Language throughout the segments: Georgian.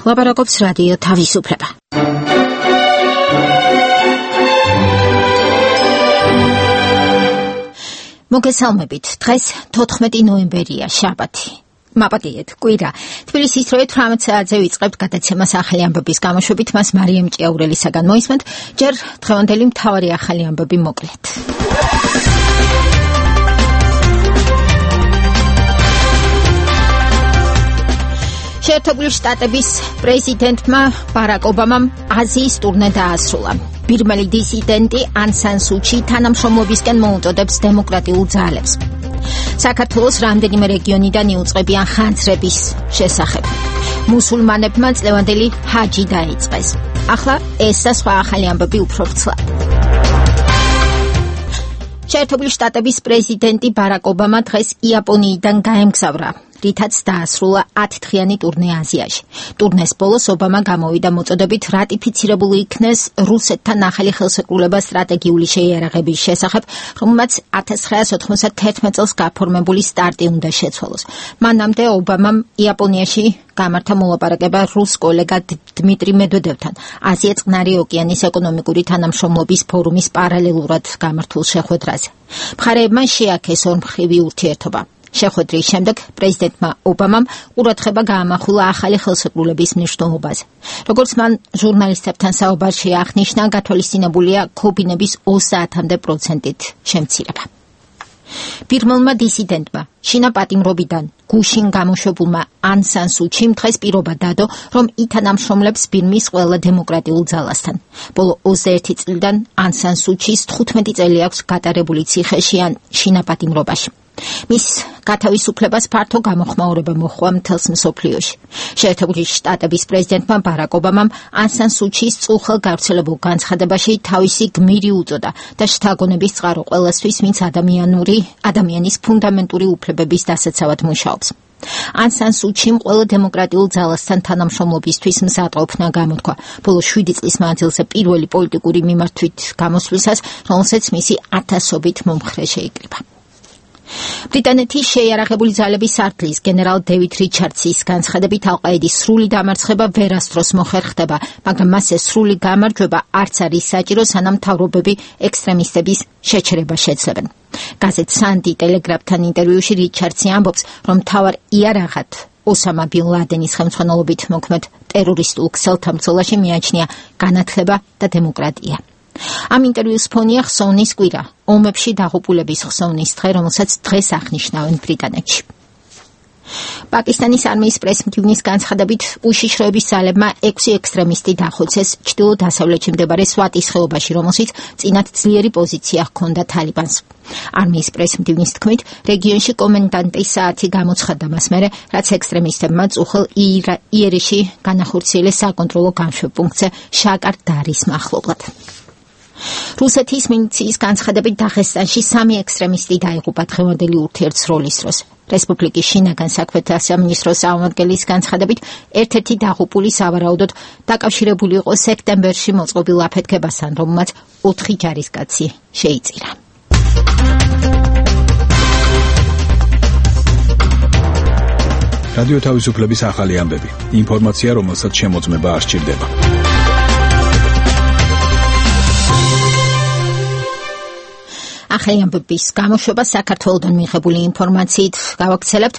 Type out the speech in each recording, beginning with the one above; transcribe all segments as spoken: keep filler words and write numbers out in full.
ლაპარაკობს რადიო თავისუფლება. მოგესალმებით. დღეს თოთხმეტი ნოემბერია, შაბათი. მაპატიეთ, კვირა. თბილისის როე თვრამეტ საათზე ვიწყებთ გადაცემას ახალი ამბების გამოშვებით, მას მარიამ ჭიაურელისაგან მოისმენთ, ჯერ დღევანდელი მთავარი ახალი ამბები მოკლედ. შეერთებული შტატების პრეზიდენტმა ბარაკ ობამამ აზიის ტურნე დაასრულა. ბირმელი დისიდენტი ან სან სუ ჩი თანამშრომლობისკენ მოუწოდებს დემოკრატიულ ძალებს. საქართველოს რამდენიმე რეგიონიდან იუწყებიან ხანძრების შესახებ. მუსულმანებმა წლევანდელი ჰაჯი დაიწყეს. ახლა ეს და სხვა ახალი ამბები უფრო ვრცლად. შეერთებული შტატების პრეზიდენტი ბარაკ ობამა დღეს იაპონიიდან გაემგზავრა, რითაც დაასრულა ათდღიანი ტურნე აზიაში. ტურნეს ბოლოს ობამა გამოვიდა მოწოდებით რატიფიცირებული იქნეს რუსეთთან ახალი ხელშეკრულება სტრატეგიული შეიარაღების შესახებ, რომელმაც ათას ცხრაასი ოთხმოცდათერთმეტ წელს გაფორმებული სტარტი უნდა შეცვალოს. მანამდე ობამამ იაპონიაში გამართა მოლაპარაკება რუს კოლეგა დმიტრი მედვედევთან აზია-წყნარი ოკეანის ეკონომიკური თანამშრომლობის ფორუმის პარალელურად გამართულ შეხვედრაზე. მხარეებმა შეაქეს ორმხრივი ურთიერთობა. შეხვედრის შემდეგ პრეზიდენტმა ობამამ ყურადღება გაამახვილა ახალი ხელშეკრულების მნიშვნელობაზე. როგორც მან ჟურნალისტებთან საუბარში აღნიშნა, გათვალისწინებულია ქობინების ოცდაათამდე პროცენტით შემცირება. ბირმელმა დისიდენტმა შინა პატიმრობიდან გუშინ გამოშვებულმა ან სან სუ ჩიმ დღეს პირობა დადო, რომ ითანამშრომლებს ბირმის ყველა დემოკრატიულ ძალასთან. ბოლო ოცდაერთი წლიდან ან სან სუ ჩის თხუთმეტი წელი აქვს გატარებული ციხეში ან შინა პატიმრობაში. მის გათავისუფლებას ფართო გამოხმაურება მოჰყვა მთელს მსოფლიოში. შეერთებული შტატების პრეზიდენტმა ბარაკ ობამამ ან სან სუ ჩის წუხელ გავრცელებულ განცხადებაში თავისი გმირი უწოდა და შთაგონების წყარო ყველასთვის, ვინც ადამიანური ადამიანის ფუნდამენტური უფლებების დასაცავად მუშაობს. ან სან სუ ჩიმ ყველა დემოკრატიულ ძალასთან თანამშრომლობისთვის მზადყოფნა გამოთქვა. ბოლო შვიდი წლის მანძილზე პირველი პოლიტიკური მიმართვით გამოსვლისას, რომელსაც მისი ათასობით მომხრე შეიკრიბა. ბრიტანეთის შეიარაღებული ძალების სარდლის გენერალ დევიდ რიჩარდსის განცხადებით ალ-ყაიდის სრული დამარცხება ვერასდროს მოხერხდება, მაგრამ მასზე სრული გამარჯვება არც არის საჭირო, სანამ მთავრობები ექსტრემისტების შეჩერება შეძლებენ. გაზეთ სანდი ტელეგრაფთან ინტერვიუში რიჩარდსი ამბობს, რომ მთავარ იარაღად ოსამა ბინ ლადენის ხელმძღვანელობით მოქმედ ტერორისტულ ქსელთან ბრძოლაში მიაჩნია განათლება და დემოკრატია. ამ ინტერვიუს ფონია ხსოვნის კვირა, ომებში დაღუპულების ხსოვნის დღე, რომელსაც დღეს აღნიშნავენ ბრიტანეთში. პაკისტანის არმიის პრესმდივნის განცხადებით, უშიშროების ძალებმა ექვსი ექსტრემისტი დახოცეს ჩრდილო-დასავლეთში მდებარე სვატის ხეობაში, რომელშიც წინათ ძლიერი პოზიცია ჰქონდა თალიბანს. არმიის პრესმდივნის თქმით, რეგიონში კომენდანტის საათი გამოცხადდა მას მერე, რაც ექსტრემისტებმა წუხელ იერეში განახორციელეს საკონტროლო განშვებპუნქტზე შაკარ დარის მახლობლად. რუსეთის მინიციის განცხადებით დაღესტანში სამი ექსტრემისტი დაიღუპა დღევანდელი ურთიერთსროლის დროს. რესპუბლიკის შინაგან საქმეთა სამინისტროს წარმომადგენლის განცხადებით, ერთ-ერთი დაღუპული სავარაუდოდ დაკავშირებული იყო სექტემბერში მოწყობილ აფეთქებასთან, რომელმაც ოთხი ჯარისკაცი შეიწირა. რადიო თავისუფლების ახალი ამბები. ინფორმაცია, რომელსაც შემოწმება არ სჭირდება. ახალი ამბების გამოშვება საქართველოდან მიღებული ინფორმაციით გავაგრძელებთ.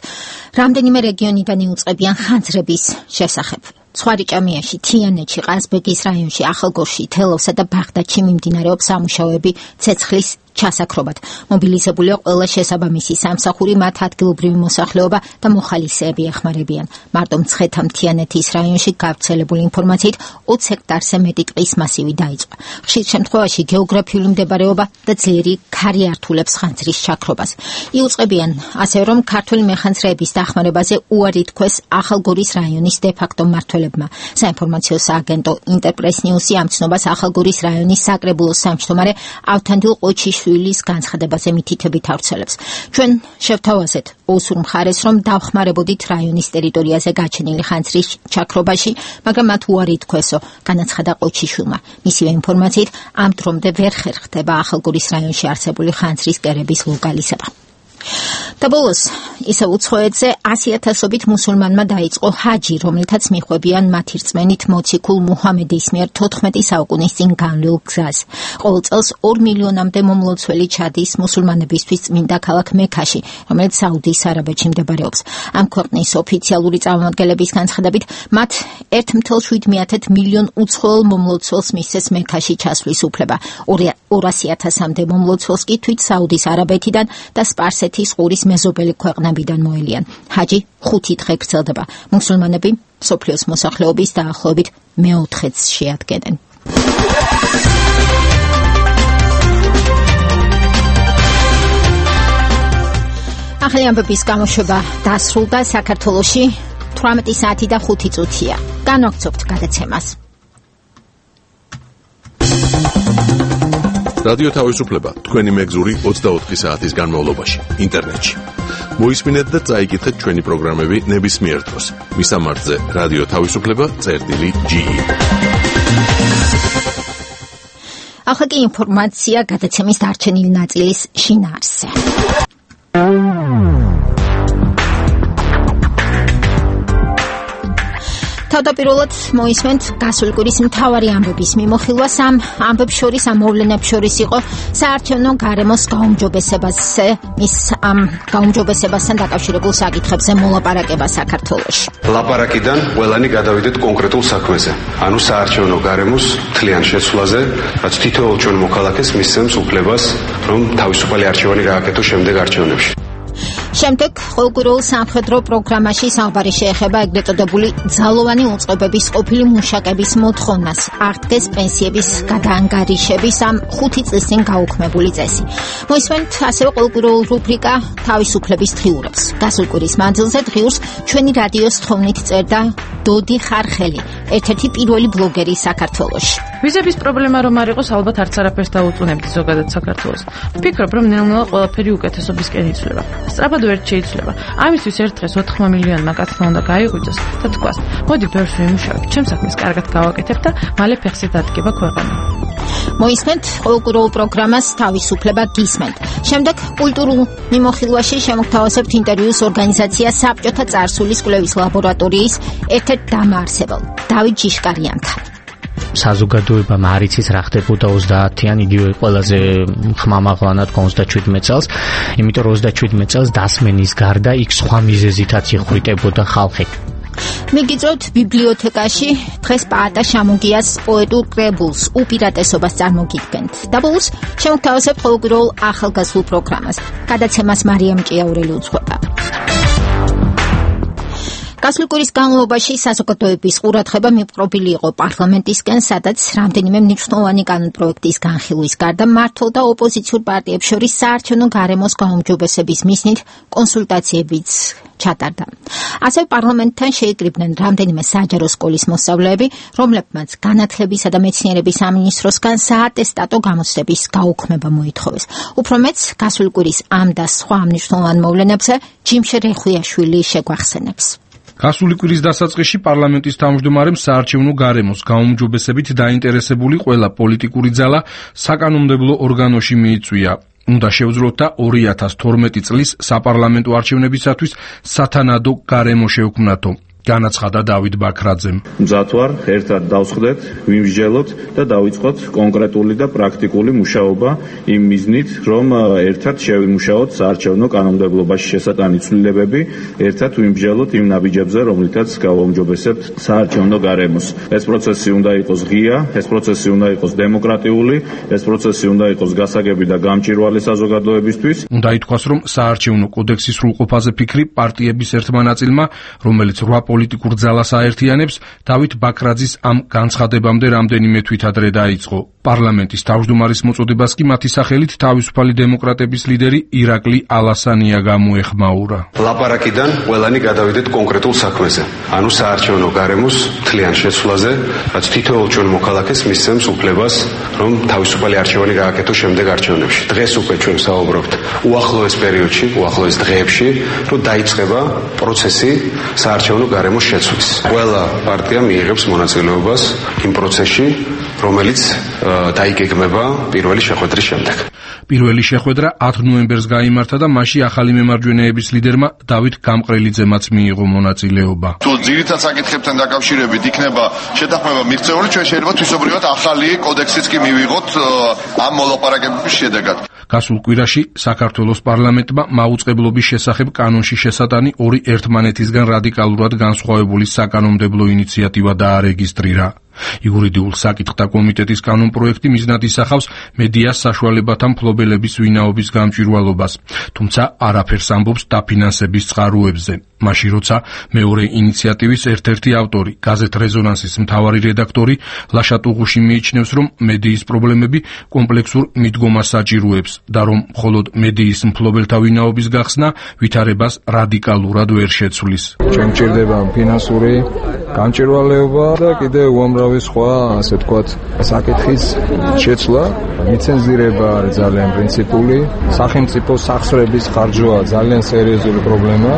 რამდენიმე რეგიონიდან იუწყებიან ხანძრების შესახებ. ცხვარიჭამიაში, თიანეთში, ყაზბეგის რაიონში, ახალგორში, თელავსა და ბაღდადში მიმდინარეობს სამუშაოები ცეცხლის ჩასაქრობად. მობილიზებულია ყველა შესაბამისი სამსახური, მათ ადგილობრივი მოსახლეობა და მოხალისეები ეხმარებიან. მარტო მცხეთა-მთიანეთის რაიონში გავრცელებული ინფორმაციით ოცი ჰექტარზე მეტი ტყის მასივი დაიწყო. ხშირ შემთხვევაში გეოგრაფიული მდებარეობა და ძლიერი ქარი ართულებს ხანძრის ჩაქრობას. იუწყებიან ასევე, რომ ქართული მეხანძრეების დახმარებაზე უარი თქვეს ახალგორის რაიონის დე-ფაქტო მმართველებმა. საინფორმაციო სააგენტო ინტერპრეს ნიუსი ამ ცნობას ახალგორის რაიონის საკრებულოს სამმჯდომარე ავთანდილ ყოჩიშვილის განცხადებაზე მითითებით ავრცელებს. ჩვენ შევთავაზეთ ოსურ მხარეს, რომ დავხმარებოდით რაიონის ტერიტორიაზე გაჩენილი ხანძრის ჩაქრობაში, მაგრამ მათ უარი თქვესო, განაცხადა ყოჩიშვილმა. მისივე ინფორმაციით, ამ დრომდე ვერ ხერხდება ახალგორის რაიონში არსებული ხანძრის კერების ლოკალიზება. და ბოლოს ისე უცხოეთზე ასი ათასობით მუსულმანმა დაიწყო ჰაჯი, რომლითაც მიხვებიან მათი რწმენით მოციქულ მუჰამედის მიერ თოთხმეტი საუკუნის წინ განვლილ გზას. ყოველ წელს ორ მილიონამდე მომლოცველი ჩადის მუსულმანებისთვის წმინდა ქალაქ მექაში, რომელიც საუდის არაბეთში მდებარეობს. ამ ქვეყნის ოფიციალური წარმომადგენლების განცხადებით, მათ ერთ მთელ შვიდ მიათეთ მილიონ უცხოელ მომლოცველს მისცეს მექაში ჩასვლის უფლება. ორასი ათასამდე მომლოცველს კი თვით საუდის არაბეთიდან და სპარსეთის ყურის მეზობელი ქვეყნებიდან მოელიან. ჰაჯი ხუთი დღე გრძელდება. მუსულმანები მსოფლიოს მოსახლეობის დაახლოებით მეოთხედს შეადგენენ. ახალი ამბების გამოშვება დასრულდა. საქართველოში თვრამეტი საათი და ხუთი წუთია. განვაგრძობთ გადაცემას. რადიო თავისუფლება თქვენი მეგზური ოცდაოთხი საათის განმავლობაში ინტერნეტში. მოისმინეთ და წაიკითხეთ ჩვენი პროგრამები ნებისმიერ დროს. მისამართზე რადიო თავისუფლება წერტილი ჯი ი. ახლა კი ინფორმაცია გადაცემის დარჩენილი ნაწილის შინაარსზე. თავდაპირველად მოისმენთ გასული კვირის მთავარი ამბების მიმოხილვას. ამ ამბებს შორის ამ მოვლენებს შორის იყო საარჩევნო გარემოს გაუმჯობესებაზე, მის ამ გაუმჯობესებასთან დაკავშირებულ საკითხებზე მოლაპარაკება საქართველოში. ლაპარაკიდან ყველანი გადავიდეთ კონკრეტულ საქმეზე, ანუ საარჩევნო გარემოს მთლიან შეცვლაზე, რაც თითოეულ ჩვენ მოქალაქეს მისცემს უფლებას, რომ თავისუფალი არჩევანი გააკეთოს შემდეგ არჩევნებში. შემდეგ ყოველკვირეულ სამხედრო პროგრამაში საუბარი შეეხება ეგრეთ წოდებული ძალოვანი უწყებების ყოფილი მუშაკების მოთხოვნას, აღდგეს პენსიების გადაანგარიშების ამ ხუთი წლის წინ გაუქმებული წესი. მოისმენთ ასევე ყოველკვირეულ რუბრიკა თავისუფლების დღიურობს. გასულ კვირის მანძილზე დღიურს ჩვენი რადიოს თხოვნით წერდა დოდი ხარხელი, ერთ-ერთი პირველი ბლოგერი საქართველოში. ვიზების პრობლემა რომ არ იყოს, ალბათ არც არაფერს დაუწუნებდი ზოგადად საქართველოს. ვფიქრობ, რომ ნელ-ნელა ყველაფერი უკეთესობისკენ იცვლება. სწრაფად ვერ შეიძლება. ამისთვის ერთ დღეს ოთხმა მილიონმა კაცმა უნდა გაიღვიძოს და თქვას, მოდი ბევრს ვიმუშავებ, ჩემს საქმეს კარგად გავაკეთებ და მალე ფეხზე დადგება ქვეყანა. მოისმენთ ყოველკვირეულ პროგრამას თავისუფლება გისმენთ. შემდეგ კულტურულ მიმოხილვაში შემოგთავაზებთ ინტერვიუს ორგანიზაცია საბჭოთა წარსულის კვლევის ლაბორატორიის ერთ-ერთ დამაარსებელ დავით ჯიშკარიანთან. საზოგადოებამ არ იცის რა ხდებოდა ოცდაათიან, იგივე ყველაზე ხმამაღლანად ოცდაშვიდმეტ წელს, იმიტომ რომ ოცდაშვიდმეტ წელს დასმენის გარდა იქ სხვა მიზეზითაც იხვრიტებოდა ხალხი. მიგიწევთ ბიბლიოთეკაში დღეს პაატა შამოგიას პოეტურ კრებულს უპირატესობას წარმოგიდგენთ. და ბოლოს შემოგთავაზებთ ყოველკვირეულ ახალგაზრდულ პროგრამას. გადაცემას მარიამ ჭიაურელი უძღვება. გასული კვირის განმავლობაში საზოგადოების ყურადღება მიპყრობილი იყო პარლამენტისკენ, სადაც რამდენიმე მნიშვნელოვანი კანონპროექტის განხილვის გარდა მმართველ და ოპოზიციურ პარტიებს შორის საარჩევნო გარემოს გაუმჯობესების მიზნით კონსულტაციებიც ჩატარდა. ასევე პარლამენტთან შეიკრიბნენ რამდენიმე საჯარო სკოლის მოსწავლეები, რომლებმაც განათლებისა და მეცნიერების სამინისტროსგან საატესტატო გამოცდების გაუქმება მოითხოვეს. უფრო მეც გასული კვირის ამ და სხვა მნიშვნელოვან მოვლენებზე ჯიმშე რეხვიაშვილი შეგვახსენებს. გასული კვირის დასაწყისში პარლამენტის თავმჯდომარემ საარჩევნო გარემოს გაუმჯობესებით დაინტერესებული ყველა პოლიტიკური ძალა საკანონმდებლო ორგანოში მიიწვია. უნდა შევძროთ და ორი ათას თორმეტი წლის საპარლამენტო არჩევნებისათვის სათანადო გარემო შევქმნათო. განაცხადა დავით ბაქრაძემ. მზად ვარ, ერთად დავსხდეთ, ვიმსჯელოთ და დავიწყოთ კონკრეტული და პრაქტიკული მუშაობა იმ მიზნით, რომ ერთად შევიმუშაოთ საარჩევნო კანონმდებლობაში შესატანი ცვლილებები, ერთად ვიმსჯელოთ იმ ნაბიჯებზე, რომლითაც გავაუმჯობესებთ საარჩევნო გარემოს. ეს პროცესი უნდა იყოს ღია, ეს პროცესი უნდა იყოს დემოკრატიული, ეს პროცესი უნდა იყოს გასაგები და გამჭვირვალე საზოგადოებისთვის. უნდა ითქვას, რომ საარჩევნო კოდექსის სრულყოფაზე ფიქრი პარტიების ერთმა ნაწილმა, რომელიც რვა პოლიტიკურ ძალას აერთიანებს, დავით ბაქრაძის ამ განცხადებამდე რამდენიმე თვით ადრე დაიწყო. პარლამენტის თავმჯდომარის მოწოდებას კი მათი სახელით თავისუფალი დემოკრატების ლიდერი ირაკლი ალასანია გამოეხმაურა. ლაპარაკიდან ყველანი გადავიდეთ კონკრეტულ საქმეზე, ანუ საარჩევნო გარემოს მთლიან შეცვლაზე, რაც თითოეულ ჩვენ მოქალაქეს მისცემს უფლებას, რომ თავისუფალი არჩევანი გააკეთოს შემდეგ არჩევნებში. დღეს უკვე ჩვენ საუბრობთ უახლოეს პერიოდში, უახლოეს დღეებში, რომ დაიწყება პროცესი საარჩევნო გარემოს შეცვლის. ყველა პარტია მიიღებს მონაწილეობას იმ პროცესში, რომელიც დაიგეგმება პირველი შეხვედრის შემდეგ. პირველი შეხვედრა ათი ნოემბერს გაიმართა და მასში ახალი მემარჯვენეების ლიდერმა დავით გამყრელიძემაც მიიღო მონაწილეობა. თუ ძირითად საკითხებთან დაკავშირებით იქნება შეთანხმება მიღწეული, ჩვენ შეიძლება თვისობრივად ახალი კოდექსიც კი მივიღოთ ამ მოლაპარაკებების შედეგად. გასულ კვირაში საქართველოს პარლამენტმა მაუწყებლობის შესახებ კანონში შესატანი ორი ერთმანეთისგან რადიკალურად განსხვავებული საკანონმდებლო ინიციატივა დაარეგისტრირა. იურიდიულ საკითხთა კომიტეტის კანონპროექტი მიზნად ისახავს მედიას საშუალებათა მფლობელების ვინაობის გამჭვირვალობას, თუმცა არაფერს ამბობს დაფინანსების წყაროებზე. მაშინ როცა მეორე ინიციატივის ერთ-ერთი ავტორი, გაზეთ რეზონანსის მთავარი რედაქტორი ლაშა ტუღუში მიიჩნევს, რომ მედიის პრობლემები კომპლექსურ მიდგომას საჭიროებს და რომ მხოლოდ მედიის მფლობელთა ვინაობის გახსნა ვითარებას რადიკალურად ვერ შეცვლის. ჩვენ გვჭირდება ფინანსური გამჭვირვალეობა და კიდევ უამრავი სხვა, ასე ვთქვათ, საკითხის შეცვლა. ლიცენზირება არის ძალიან პრინციპული, სახელმწიფო სახსრების ხარჯვა ძალიან სერიოზული პრობლემა,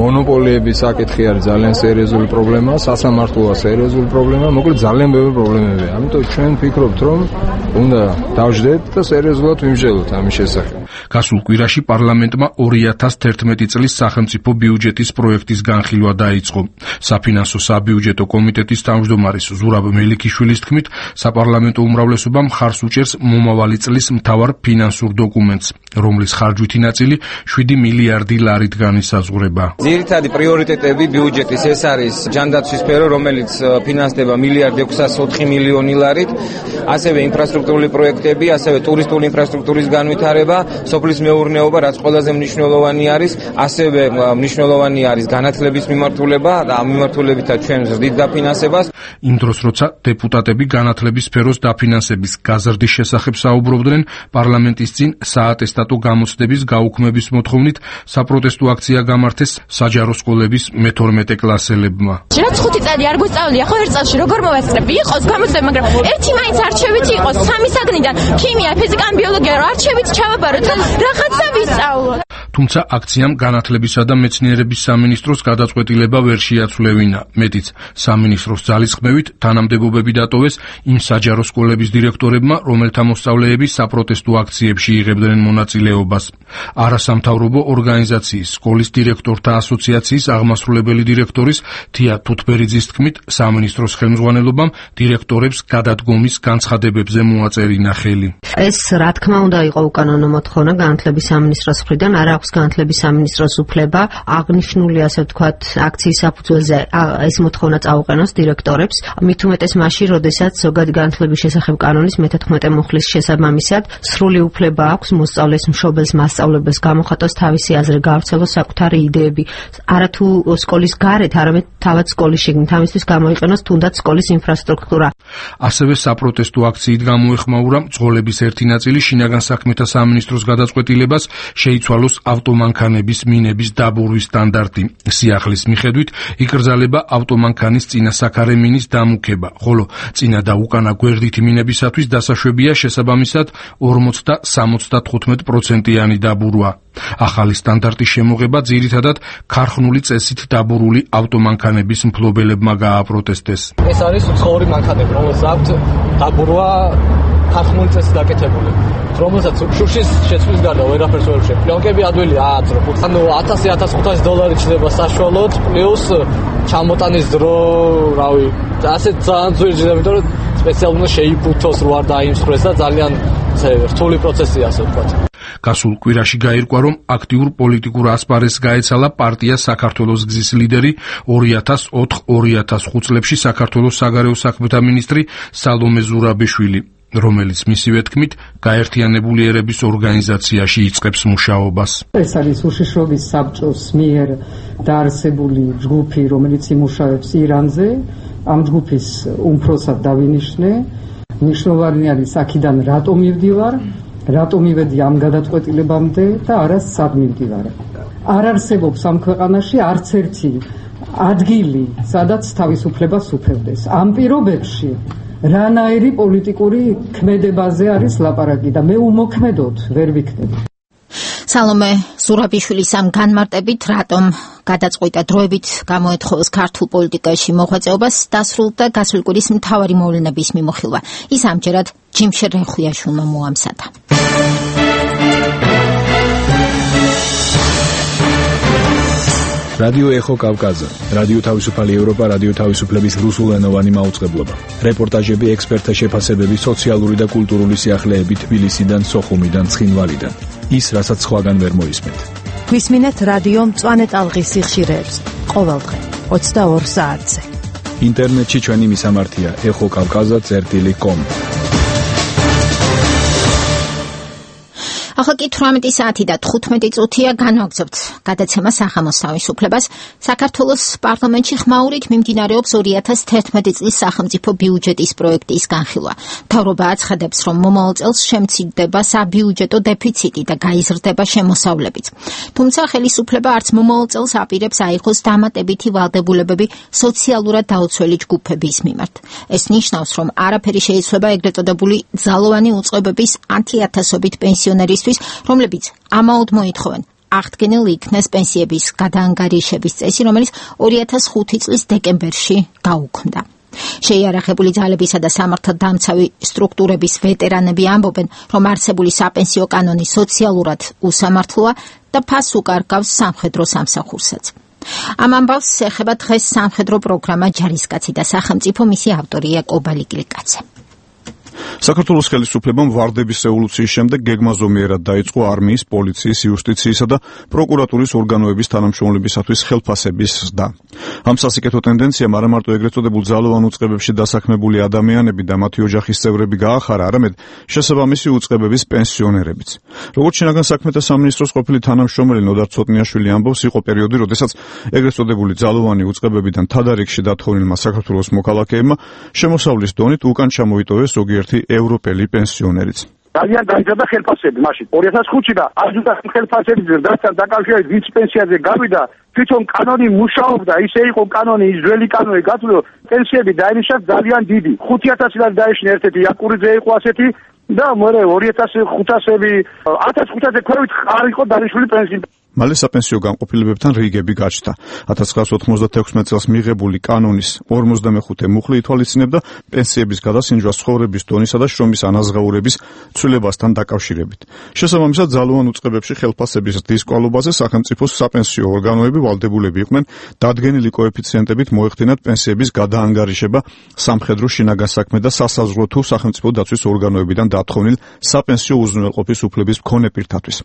მონოპოლიების საკითხი არის ძალიან სერიოზული პრობლემა, სასამართლოა სერიოზული პრობლემა, მოკლედ ძალიან ბევრი პრობლემებია. ამიტომ ჩვენ ვფიქრობთ, რომ უნდა დავждეთ და სერიოზულად ვიმსჯელოთ ამის შესახებ. გასულ კვირაში პარლამენტმა ორი ათას თერთმეტი წლის სახელმწიფო ბიუჯეტის პროექტის განხილვა დაიწყო. საფინანსო საბიუჯეტო კომიტეტის თავმჯდომარის ზურაბ მელიქიშვილის თქმით, საპარლამენტო უმრავლესობა მხარს უჭერს მომავალი წლის მთავარ ფინანსურ დოკუმენტს, რომლის ხარჯვითი ნაწილი შვიდი მილიარდი ლარით განისაზღვრება. ძირითადი პრიორიტეტები ბიუჯეტის ეს არის ჯანდაცვის სფერო, რომელიც ფინანსდება მილიარდი ექვსას ოთხი მილიონი ლარით, ასევე ინფრასტრუქტურული პროექტები, ასევე ტურისტული ინფრასტრუქტურის განვითარება, სოფლის მეურნეობა, რაც ყველაზე მნიშვნელოვანი არის, ასევე მნიშვნელოვანი არის განათლების მიმართულება და ამ მიმართულებითაც ჩვენ ზრდით დაფინანსებას. იმ დროს, როცა დეპუტატები განათლების სფეროს დაფინანსების გაზრდის შესახებ საუბრობდნენ, პარლამენტის წინ საატესტატო გამოცდების გაუქმების მოთხოვნით საპროტესტო აქცია გამართეს საჯარო სკოლების მეთორმეტე კლასელებმა. რაც ხუთი წელი არ გვესწავლი, ახლა ერთ წელში როგორ მოვესწრები? იყოს გამოცდები, მაგრამ ერთი მაინც არჩევითი იყოს, სამი საგნიდან ქიმია, ფიზიკა, ბიოლოგია, არჩევით ჩავაბაროთ და რაღაცა ვისწავლოთ. თუმცა აქციამ განათლებისა და მეცნიერების სამინისტროს გადაწყვეტილება ვერ შეაცვლევინა. მეტიც, სამინისტროს ძალისხმევით თანამდებობები დატოვეს იმ საჯარო სკოლების დირექტორებმა, რომელთა მოსწავლეები საპროტესტო აქციებში იღებდნენ მონაწილეობას. არასამთავრობო ორგანიზაციის სკოლის დირექტორთა ასოციაციის აღმასრულებელი დირექტორის თია თუთბერიძის თქმით, სამინისტროს ხელმძღვანელობამ დირექტორებს გადადგომის განცხადებებზე მოაწერინა ხელი. ეს რა თქმა უნდა იყო უკანონო მოთხოვნა განათლების სამინისტროს მხრიდან, არ აქვს განათლების სამინისტროს უფლება აღნიშნული, ასე ვთქვათ, აქციის საფუძველზე ეს მოთხოვნა წაუყენოს დირექტორებს, მით უმეტეს მაშინ, როდესაც ზოგადი განათლების შესახებ კანონის მეთერთმეტე მუხლის შესაბამისად სრული უფლება აქვს მოსწავლეს, მშობელს, მასწავლებელს გამოხატოს თავისი აზრი, გავრცელოს საკუთარი იდეები, არათუ სკოლის გარეთ, არამედ თავად სკოლის შიგნით, ამისთვის გამოიყენოს თუნდაც სკოლის ინფრასტრუქტურა. ასევე საპროტესტო აქციით გამოეხმაურა მძღოლების ერთი ნაწილი შინაგან საქმეთა სამინისტროს გადაწყვეტილებას შეიცვალოს ავტომანქანების მინების დაბურვის სტანდარტი. სიახლის მიხედვით იკრძალება ავტომანქანის წინასაქარე მინის დამუქება, ხოლო წინა და უკანა გვერდითი მინებისათვის დასაშვებია შესაბამისად ორმოც და სამოცდათხუთმეტ პროცენტიანი დაბურვა. ახალი სტანდარტის შემოღება ძირითადად ქარხნული წესით დაბურული ავტომანქანების მფლობელებმა გააპროტესტეს. ეს არის უცხოური მანქანები, რომელსაც აქვთ დაბურვა ქარხნული წესით დაკეთებული, რომელსაც შუშის შეცვლის გარდა ვერაფერს ვერ შეგვიძლია. პლონკები ადვილი ააძრო. ანუ ათასი ათასხუთასი დოლარი ჩნდება საშუალოდ, პლუს ჩამოტანის დრო, რავი, ასეთ ძალიან ძვირჯდა, იმიტომ რომ სპეციალურად შეიფუთოს რო არ დაიმსხვრეს და ძალიან რთული პროცესია, ასე ვთქვათ. გასულ კვირაში გაირკვა, რომ აქტიურ პოლიტიკურ ასპარეზს გაეცალა პარტია საქართველოს გზის ლიდერი ორი ათას ოთხ ორი ათას ხუთ წლებში საქართველოს საგარეო საქმეთა მინისტრი სალომე ზურაბიშვილი, რომელიც მისივე თქმით გაერთიანებული ერების ორგანიზაციაში იწყებს მუშაობას. ეს არის უშიშრობის საბჭოს მიერ დაარსებული ჯგუფი, რომელიც იმუშავებს ირანზე. ამ ჯგუფის უმფროსად დავინიშნე. მნიშვნელოვანი არის აქედან რატომ მივდივარ, რატომ მივედი ამ გადაწყვეტილებამდე და არა სად მივდივარ. არ არსებობს ამ ქვეყანაში არც ერთი ადგილი, სადაც თავისუფლებას უფევდეს. ამ პირობებში რანაირი პოლიტიკური ქმედებაზე არის ლაპარაკი და მე უმოქმედოდ ვერ ვიქნები. სალომე ზურაბიშვილის ამ განმარტებით, რატომ გადაწყვიტა დროებით გამოეთხოვოს ქართულ პოლიტიკაში მოღვაწეობას, დასრულდა გასული კვირის მთავარი მოვლენების მიმოხილვა. ის ამჯერად ჯიმშე რეხუიაშვილმა მოამზადა. რადიო ეხო კავკაზა, რადიო თავისუფალი ევროპა, რადიო თავისუფლების რუსულენოვანი მაუწყებლობა. რეპორტაჟები, ექსპერტთა შეფასებები, სოციალური და კულტურული სიახლეები თბილისიდან, სოხუმიდან, ცხინვალიდან. ის, რასაც სხვაგან ვერ მოისმენთ. გვისმინეთ რადიო მწვანე ტალღის სიხშირეებს ყოველდღე ოცდაორ საათზე. ინტერნეტში ჩვენი მისამართია ეხო კავკაზა წერტილი კომ. ახლა კი თვრამეტი საათი და თხუთმეტი წუთია განვაგრძობთ გადაცემა სახამოს თავისუფლებას. საქართველოს პარლამენტში ხმაურით მიმდინარეობს ორი ათას თერთმეტი წლის სახელმწიფო ბიუჯეტის პროექტის განხილვა. მთავრობა აცხადებს, რომ მომავალ წელს შემცირდება საბიუჯეტო დეფიციტი და გაიზრდება შემოსავლებიც. თუმცა ხელისუფლება არც მომავალ წელს აპირებს აიღოს დამატებითი ვალდებულებები სოციალურად დაუცველი ჯგუფების მიმართ. ეს ნიშნავს, რომ არაფერი შეიცვლება ეგრეთ წოდებული ძალოვანი უწყებების ათი-ათასობით პენსიონერისთვის, რომლებიც ამაოდ მოითხოვენ აღდგენილ იქნეს პენსიების გადაანგარიშების წესი, რომელიც ორი ათას ხუთი წლის დეკემბერში გაუქმდა. შეიარაღებული ძალებისა და სამართალდამცავი სტრუქტურების ვეტერანები ამბობენ, რომ არსებული საპენსიო კანონი სოციალურად უსამართლოა და ფასს უკარგავს სამხედრო სამსახურსაც. ამ ამბავს ეხება დღეს სამხედრო პროგრამა ჯარისკაცი და სახელმწიფო, მისი ავტორია კობალი კილიკაძე. საქართველოს ხელისუფლებამ ვარდების რევოლუციის შემდეგ გეგმა ზომიერად დაიწყო არმიის, პოლიციის, იუსტიციისა და პროკურატურის ორგანოების თანამშრომლებისათვის ხელფასების ზრდა. ამ სასიკეთო ტენდენციამ არა მარტო ეგრეთ წოდებულ ძალოვან უწყებებში დასაქმებული ადამიანები და მათი ოჯახის წევრები გაახარა, არამედ შესაბამისი უწყებების პენსიონერებიც. როგორც შინაგან საქმეთა სამინისტროს ყოფილი თანამშრომელი ნოდარ ცოტნიაშვილი ამბობს, იყო პერიოდი, როდესაც ეგრეთ წოდებული ძალოვანი უწყებებიდან თადარიგში დათხოვნილმა საქართველოს მოქალაქეებმა შემოსავლის დონით უკან ჩამოიტოვეს ზოგიერთი ევროპელი პენსიონერიც. ძალიან გაიზარდა ხელფასები მაშინ ორი ათას ხუთში და აზრდა ხელფასების ზრდასთან დაკავშირებით ვინც პენსიაზე გავიდა, თვითონ კანონი მუშაობდა, ისე იყო კანონი, ის ძველი კანონი გათვლილ პენსიები დაინიშნა ძალიან დიდი. ხუთი ათასი ლარი დაიშნა ერთ-ერთი იაკურიძე იყო ასეთი და მერე ორი ათას ხუთასები ათას ხუთასზე ქვევით არ იყო დანიშნული პენსია. მალე საპენსიო განყოფილებებთან რიგები გაჩნდა. ათას ცხრაასი ოთხმოცდათექვსმეტ წელს მიღებული კანონის ორმოცდამეხუთე მუხლი ითვალისწინებდა პენსიების გადასინჯვას ცხოვრების დონისა და შრომის ანაზღაურების ცვლილებასთან დაკავშირებით. შესაბამისად, ძალოვან უწყებებში ხელფასების ზრდის კვალობაზე სახელმწიფოს საპენსიო ორგანოები ვალდებულები იყვნენ დადგენილი კოეფიციენტებით მოეხდინათ პენსიების გადაანგარიშება სამხედრო, შინაგან საქმე და სასაზღვრო თუ სახელმწიფო დაცვის ორგანოებიდან დათხოვნილ საპენსიო უზრუნველყოფის უფლების მქონე პირთათვის.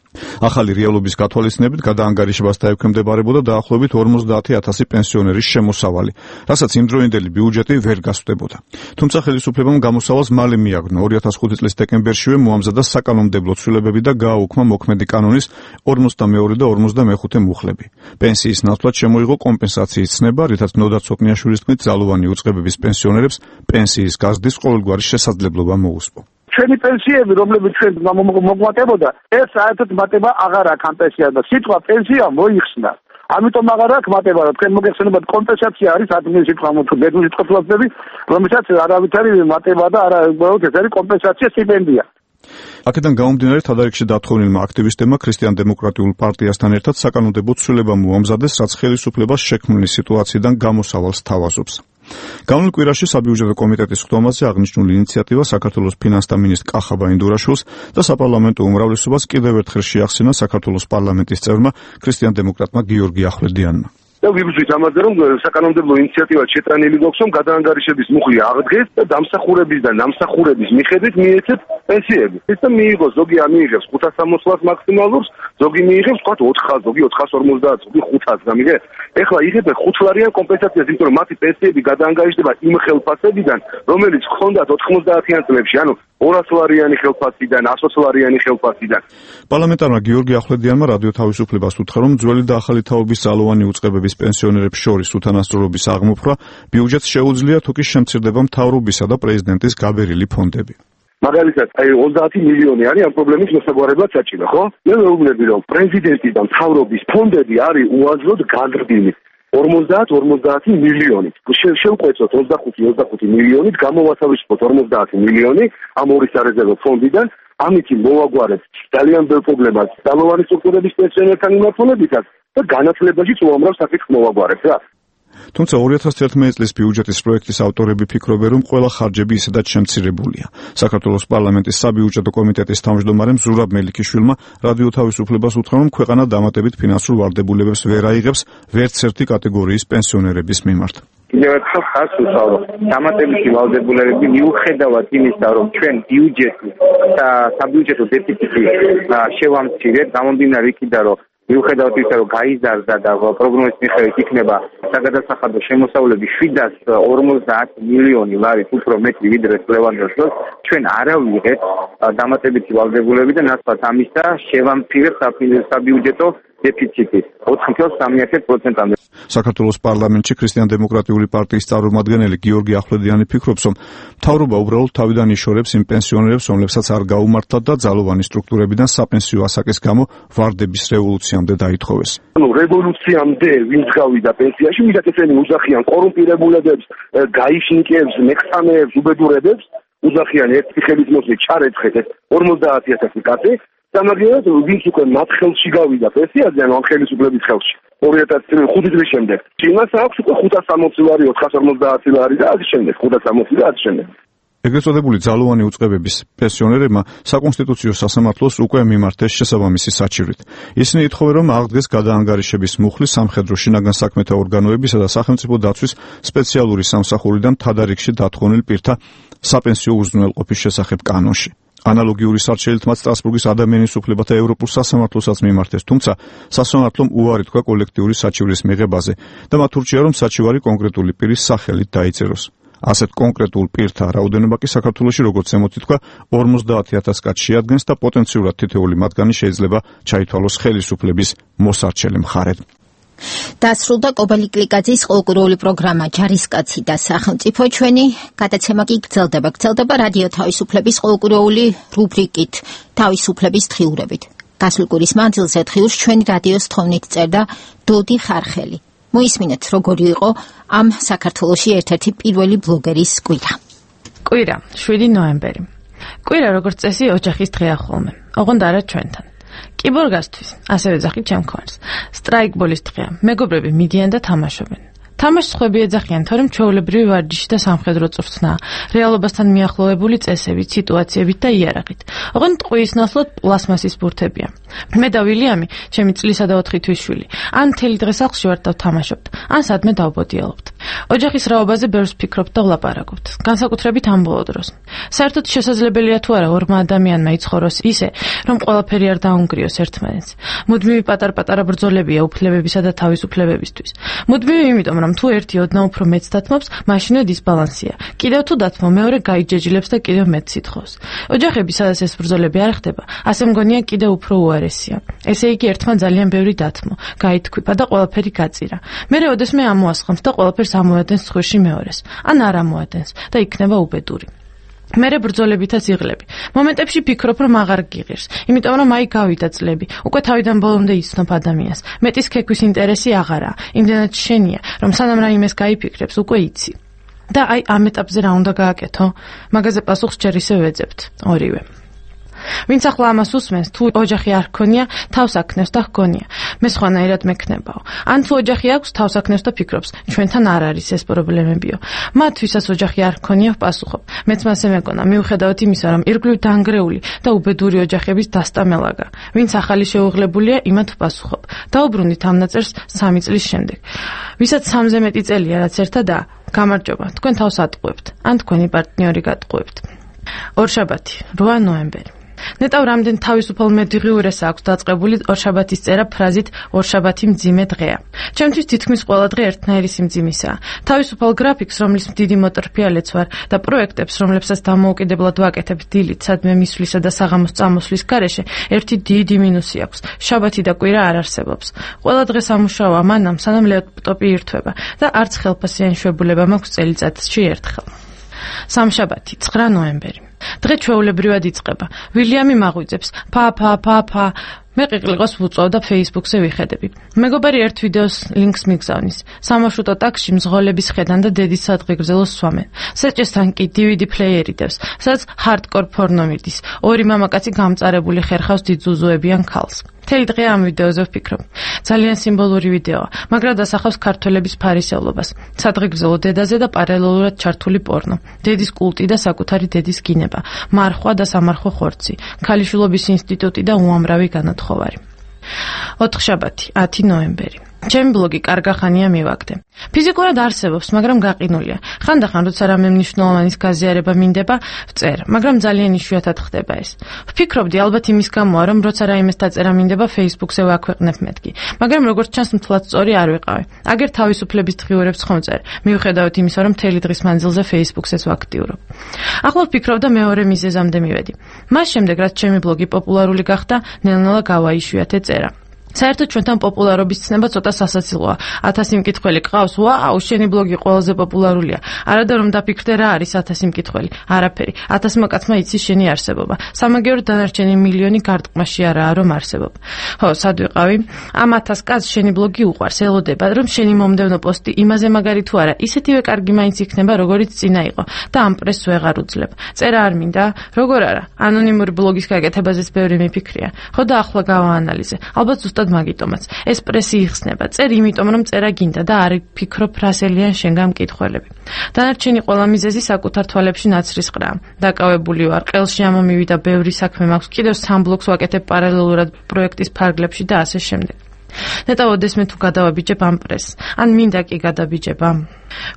ახალი რეალობის გათვალისწინებით გადაანგარიშებას დაექვემდებარებოდა დაახლოებით ორმოცდაათი ათასი პენსიონერის შემოსავალი, რასაც იმდროინდელი ბიუჯეტი ვერ გასვდებოდა. თუმცა ხელისუფლებამ გამოსავალს მალე მიაგნო. ორი ათას ხუთი წლის დეკემბერშივე მოამზადა საკანონმდებლო ცვლილებები და გააუქმა მოქმედი კანონის ორმოცდამეორე და ორმოცდამეხუთე მუხლები. პენსიის ნაცვლად შემოიღო კომპენსაციის ცნება, რითაც ნოდარ ცოტნიაშვილის თქმით ძალოვანი უწყებების პენსიონერებს პენსიის გაზრდის ყოველგვარი შესაძლებლობა მოუსპო. ჩვენი პენსიები, რომლებიც ჩვენ მოგვატებოდა, ეს საერთოდ მატება აღარ აქვს ამ პენსიას. სიტყვა პენსია მოიხსნა. ამიტომ აღარ აქვს მატება, რომ თქვენ მოგეხსენებათ კომპენსაცია არის ადგილი სიტყვა მოგებულ სიტყვასები, რომელსაც არავითარი მატება და არა უბრალოდ ეს არის კომპენსაცია სტიპენდია. აქედან გამომდინარე თადარიგში დათხოვნილმა აქტივისტებმა ქრისტიან-დემოკრატიულ პარტიასთან ერთად საკანონმდებლო ცვლილება მოამზადეს, რაც ხელისუფლებას შექმნილი სიტუაციიდან გამოსავალს თავაზობს. გამოვნილ კვირაში საბიუჯეტო კომიტეტის ხდომაზე აღნიშნული ინიციატივა საქართველოს ფინანსთა მინისტრ კახაბა ინდურაშვილს და საპარლამენტო უმრავლესობას კიდევ ერთხელ შეახსენა საქართველოს პარლამენტის წევრმა ქრისტიან-დემოკრატმა გიორგი ახვლედიანმა. და ვიბრძვით ამაზე, რომ საკანონმდებლო ინიციატივა შეტანილი გვაქვს, რომ გადაანგარიშების მუხლი აღდგეს და დამსახურების და ნამსახურების მიხედვით მიეცეთ პენსიები. ეს და მიიღოს, ზოგი ამიიღებს ხუთას სამოცდას მაქსიმალურს, ზოგი მიიღებს თქვათ ოთხას, ზოგი ოთხას ორმოცდაათს, ზოგი ხუთას, გამიგე? ეხლა იღებენ ხუთლარიან კომპენსაციას, იმიტომ რომ მათი პენსიები გადაანგარიშდება იმ ხელფასებიდან, რომელიც ჰქონდათ ოთხმოცდაათიან წლებში, ანუ ორას ლარიანი ხელფასიდან, ასოც ლარიანი ხელფასიდან. პარლამენტარმა გიორგი ახვლედიანმა რადიო თავისუფლებას უთხრა, რომ ძველი და ახალი თაობის ძალოვანი უწყებების პენსიონერებს შორის უთანასწორობის აღმოფხვრა ბიუჯეტს შეუძლია, თუ კი შემცირდება მთავრობისა და პრეზიდენტის გაბერილი ფონდები. მაგალითად, აი ოცდაათი მილიონი არის ამ პრობლემის მოსაგვარებლად საჭირო, ხო? მე მეუბნები, რომ პრეზიდენტის და მთავრობის ფონდები არის უაზროდ გაზრდილი. ორმოცდაათი ორმოცდაათი მილიონი. შევყვეცოთ ოცდახუთი ოცდახუთი მილიონით, გამოვასავისუფლოთ ორმოცდაათი მილიონი ამ ორი სარეზერვო ფონდიდან, ამით მოვაგვარეთ ძალიან ბევრ პრობლემას ძალოვანი სტრუქტურების პენსიონერთან მიმართულებითაც და განათლებაშიც უამრავ საკითხს მოვაგვარეთ რა. თუმცა ორი ათას თერთმეტი წლის ბიუჯეტის პროექტის ავტორები ფიქრობენ, რომ ყველა ხარჯები ისედაც შემცირებულია. საქართველოს პარლამენტის საბიუჯეტო კომიტეტის თავმჯდომარემ ზურაბ მელიქიშვილმა რადიო თავისუფლებას უთხრა, რომ ქვეყანა დამატებით ფინანსურ ვალდებულებებს ვერ აიღებს ვერც ერთი კატეგორიის პენსიონერების მიმართ. კიდევ ერთხელ ხაზს უსვამო, დამატებითი ვალდებულებები მიუხედავად იმისა, რომ ჩვენ ბიუჯეტი და საბიუჯეტო დეფიციტი შევამცირეთ, გამომდინარე იქიდან, რომ მიუხედავად იმისა, რომ გაიზარდა და პროგნოზის მიხედვით იქნება საგადასახადო შემოსავლები შვიდას ორმოცდაათ მილიონი ლარით უფრო მეტი ვიდრე წლევანდელ დროს, ჩვენ არ ავიღეთ დამატებითი ვალდებულები და ნაცვლად ამისა შევამცირეთ საბიუჯეტო დეფიციტი ოთხ წელს სამი პროცენტამდე. საქართველოს პარლამენტში ქრისტიან-დემოკრატიული პარტიის წარმომადგენელი გიორგი ახვლედიანი ფიქრობს, რომ მთავრობა უბრალოდ თავიდან იშორებს იმ პენსიონერებს, რომლებსაც არ გაუმართლათ და ძალოვანი სტრუქტურებიდან საპენსიო ასაკის გამო ვარდების რევოლუციამდე დაითხოვეს. ანუ რევოლუციამდე ვინც გავიდა პენსიაში, ვიდრე ესენი უძახიან კორუმპირებულებებს, გაიშნიკებს, მეხსამეებს, უბედურებებს, უძახიან ერთი ხელის მოსვლით ჩარეცხეთ ორმოცდაათი ათასი კაცი. სამაგიეროდ ვინც უკვე მათ ხელში გავიდა პენსიაზე, ანუ ამ ხელისუფლების ხელში ორი ათას ხუთი წლის შემდეგ. იმას აქვს უკვე ხუთას სამოცი ლარი, ოთხას ორმოცდაათი ლარი და ასე შემდეგ, ხუთას სამოცი და ასე შემდეგ. ეგრეთ წოდებული ძალოვანი უწყებების პენსიონერებმა საკონსტიტუციო სასამართლოს უკვე მიმართეს შესაბამისი საჩივრით. ისინი ითხოვენ, რომ აღდგეს გადაანგარიშების მუხლი სამხედრო შინაგან საქმეთა ორგანოებისა და სახელმწიფო დაცვის სპეციალური სამსახურიდან თადარიგში დათხოვნილ პირთა საპენსიო უზრუნველყოფის შესახებ კანონში. ანალოგიური სარჩელით მათ სტრასბურგის ადამიანის უფლებათა ევროპულ სასამართლოსაც მიმართეს, თუმცა სასამართლომ უარი თქვა კოლექტიური საჩივრის მიღებაზე და მათ ურჩია, რომ საჩივარი კონკრეტული პირის სახელით დაიწეროს. ასეთ კონკრეტულ პირთა რაოდენობა კი საქართველოში, როგორც ემოთი თქვა, ორმოცდაათი ათას კაცს შეადგენს და პოტენციურად თითოეული მათგანი შეიძლება ჩაითვალოს ხელისუფლების მოსარჩელი მხარედ. დასრულდა კობალი კლიკაძის ყოლკურული პროგრამა ჯარისკაცი და სახელმწიფო. ჩვენი გადაცემა კი გრძელდება გრძელდება რადიო თავისუფლების ყოლკურული რუბრიკით თავისუფლების დღიურებით. გასულ კვირის მანძილზე დღიურს ჩვენი რადიოს თხოვნით წერდა დოდი ხარხელი. მოისმინეთ, როგორი იყო ამ საქართველოში ერთ-ერთი პირველი ბლოგერის კვირა. კვირა შვიდი ნოემბერი. კვირა როგორც წესი ოჯახის დღეა ხოლმე. ოღონდ არა ჩვენთან. კიბორგასთვის, ასევე ძახით ჩემქონს. სტრაიკბოლის დღეა. მეგობრები მიდიან და თამაშობენ. თამაშს ხვები ეძახიან, თორემ ჩვეულებრივი ვარჯიში და სამხედრო წვრთნაა, რეალობასთან მიახლოვებული წესებით, სიტუაციებით და იარაღით. ოღონდ ტყუის ნაცვლად პლასმასის ბურთებია. მე და ვილიამი, ჩემი წლისა და ოთხი თვის შვილი, ან მთელი დღე სახლში ვართ და ვთამაშობთ, ან სადმე დავბოდიალობთ. ოჯახის რაობაზე ბევრს ვფიქრობთ და ვლაპარაკობთ, განსაკუთრებით ამ ბოლო დროს. საერთოდ შესაძლებელია თუ არა ორმა ადამიანმა იცხოვროს ისე, რომ ყველაფერი არ დაუნგრიოს ერთმანეთს. მუდმივი პატარ-პატარა ბრძოლებია უფლებებისა და თავისუფლებებისთვის. მუდმივი იმიტომ, რომ თუ ერთი ოდნავ უფრო მეც დათმობს, მაშინვე დისბალანსია. კიდევ თუ დათმო, მეორე გაიჯეჯილებს და კიდევ მეც სითხოს. ოჯახები, სადაც ეს ბრძოლები არ ხდება, ასე მგონია კიდევ უფრო უარესია. ესე იგი, ერთმა ძალიან ბევრი დათმო, გაითქვიფა და ყველაფერი გაწირა. მერე ოდესმე ამოასხამს და ყველაფერს ამოადენს ცხვირში მეორეს, ან არ ამოადენს და იქნება უბედური. მერე ბრძოლებითაც იღლები. მომენტებში ფიქრობ, რომ აღარ გიღირს, იმიტომ რომ აი გავიდა წლები, უკვე თავიდან ბოლომდე იცნობ ადამიანს. მეტის ქეკვის ინტერესი აღარაა, იმდენად შენია, რომ სანამ რაიმეს გაიფიქრებს, უკვე იცი. და აი ამ ეტაპზე რა უნდა გააკეთო? მაგაზე პასუხს ჯერ ისე ვეძებთ, ორივე. ვინც ახლა ამას უსმენს, თუ ოჯახი არ ჰქონია, თავს აქნევს და ჰგონია. მე სხვანაირად მექნებაო. ან თუ ოჯახი აქვს, თავს აქნევს და ფიქრობს, ჩვენთან არ არის ეს პრობლემებიო. მათ, ვისაც ოჯახი არ ჰქონია, ვპასუხობ. მეც მასე მეკონა, მიუხედავად იმისა, რომ ირგვლივ დანგრეული და უბედური ოჯახების დასტამელაგა. ვინც ახალი შეუღლებულია, იმათ ვპასუხობ. დაუბრუნდით ამ ნაწერს სამი წლის შემდეგ. ვისაც სამზე მეტი წელია, რაც ერთადაა, გამარჯობა, თქვენ თავს ატყუებთ, ან თქვენი პარტნიორი გატყუებთ. ორშაბათი, რვა ნოემბერი. ნეტავ რამდენ თავისუფალ მედღიურეს აქვს დაწყებული ორშაბათის წერა ფრაზით ორშაბათი მძიმე დღეა. ჩემთვის თითქმის ყველა დღე ერთნაირი სიმძიმისაა. თავისუფალ გრაფიკს, რომლის დიდი მოტრფიალეც ვარ და პროექტებს, რომლებსაც დამოუკიდებლად ვაკეთებ დილით, სადმე მისვლისა და საღამოს წამოსვლის გარეშე, ერთი დიდი მინუსი აქვს. შაბათი და კვირა არ არსებობს. ყველა დღე სამუშაოა მანამ, სანამ ლეპტოპი ირთვება და არც ხელფასიანი შვებულება მაქვს წელიწადში ერთხელ. სამშაბათი, ცხრა ნოემბერი. დღე ჩვეულებრივად იწყება. ვილიამი მაღვიძებს, ფა ფა ფა ფა. მე ყიყლიყოს ვუწვავ და Facebook-ზე ვიხედები. მეგობარი ერთ ვიდეოს ლინკს მიგზავნის. სამარშრუტო ტაქსში მზღოლების ხედან და დედის სადღეგრძელოს სვამენ. სეჭესთან კი დი ვი დი პლეიერი დევს, სადაც ჰარდკორ ფორნო მიდის. ორი მამაკაცი გამწარებული ხერხავს დიძუზუებიან ქალს. მთელი დღე ამ ვიდეოზე ვფიქრობ. ძალიან სიმბოლური ვიდეოა, მაგრამ დასახავს ქართველების ფარისევლობას. სადღეგრძელო დედაზე და პარალელურად ჩართული პორნო. დედის კულტი და საკუთარი დედის გინება, მარხვა და სამარხო ხორცი, ქალიშვილობის ინსტიტუტი და უამრავი განათხოვარი. ოთხშაბათი, ათი ნოემბერი. ჩემი ბლოგი კარგახანია მივაგდე. ფიზიკურად არსებობს, მაგრამ გაყინულია. ხანდახან როცა რამე მნიშვნელოვანის გაზიარება მინდება, ვწერ, მაგრამ ძალიან იშვიათად ხდება ეს. ვფიქრობდი, ალბათ იმის გამოა, რომ როცა რაიმეს დაწერა მინდება Facebook-ზე ვაქვეყნებ მეთქი, მაგრამ როგორც ჩანს, მთლად სწორი არ ვიყავი. აგერ თავისუფლების დღიურებს ხომ წერ, მიუხედავად იმისა, რომ მთელი დღის მანძილზე Facebook-ზეც ვაქტიურობ. ახლა ვფიქრობ და მეორე მიზეზამდე მივედი. მას შემდეგ, რაც ჩემი ბლოგი პოპულარული გახდა, ნელ-ნელა გავაიშვიათე წერა. საერთოდ ჩვენთან პოპულარობის ცნება ცოტა სასაცილოა. ათასი მკითხველი ყავს, ვაუ, შენი ბლოგი ყველაზე პოპულარულია. არადა რომ დაფიქრდე რა არის ათასი მკითხველი. არაფერი. ათასმა კაცმა იცის შენი არსებობა. სამაგიეროდ დანარჩენი მილიონი გარტყმაში არაა რომ არსებობ. ხო, სად ვიყავი? ამ ათას კაცს შენი ბლოგი უყვარს, ელოდება, რომ შენი მომდევნო პოსტი იმაზე მაგარი თუ არა, ისეთივე კარგი მაინც იქნება, როგორიც წინა იყო და ამ პრესს ვეღარ უძლებ. წერა არ მინდა? როგორ არა? ანონიმური ბლოგის გაკეთებაზეც ბევრი მიფიქრია. ხო და ახლა გავაანალიზე. ალბათ ზუსტად მაგიტომაც ეს პრესი იხსნება. წერ იმიტომ რომ წერა გინდა და არ ფიქრობ რასელიან შენგან მკითხველები. დანარჩენი ყველა მიზეზი საკუთარ თვალებში ნაცრისყრაა. დაკავებული ვარ, ყელში ამომივიდა ბევრი საქმე მაქვს, კიდევ სამ ბლოგს ვაკეთებ პარალელურად პროექტის ფარგლებში და ასე შემდეგ. ნეტავოდეს მე თუ გადავაბიჯებ ამ პრესს, ან მინდა კი გადაბიჯება.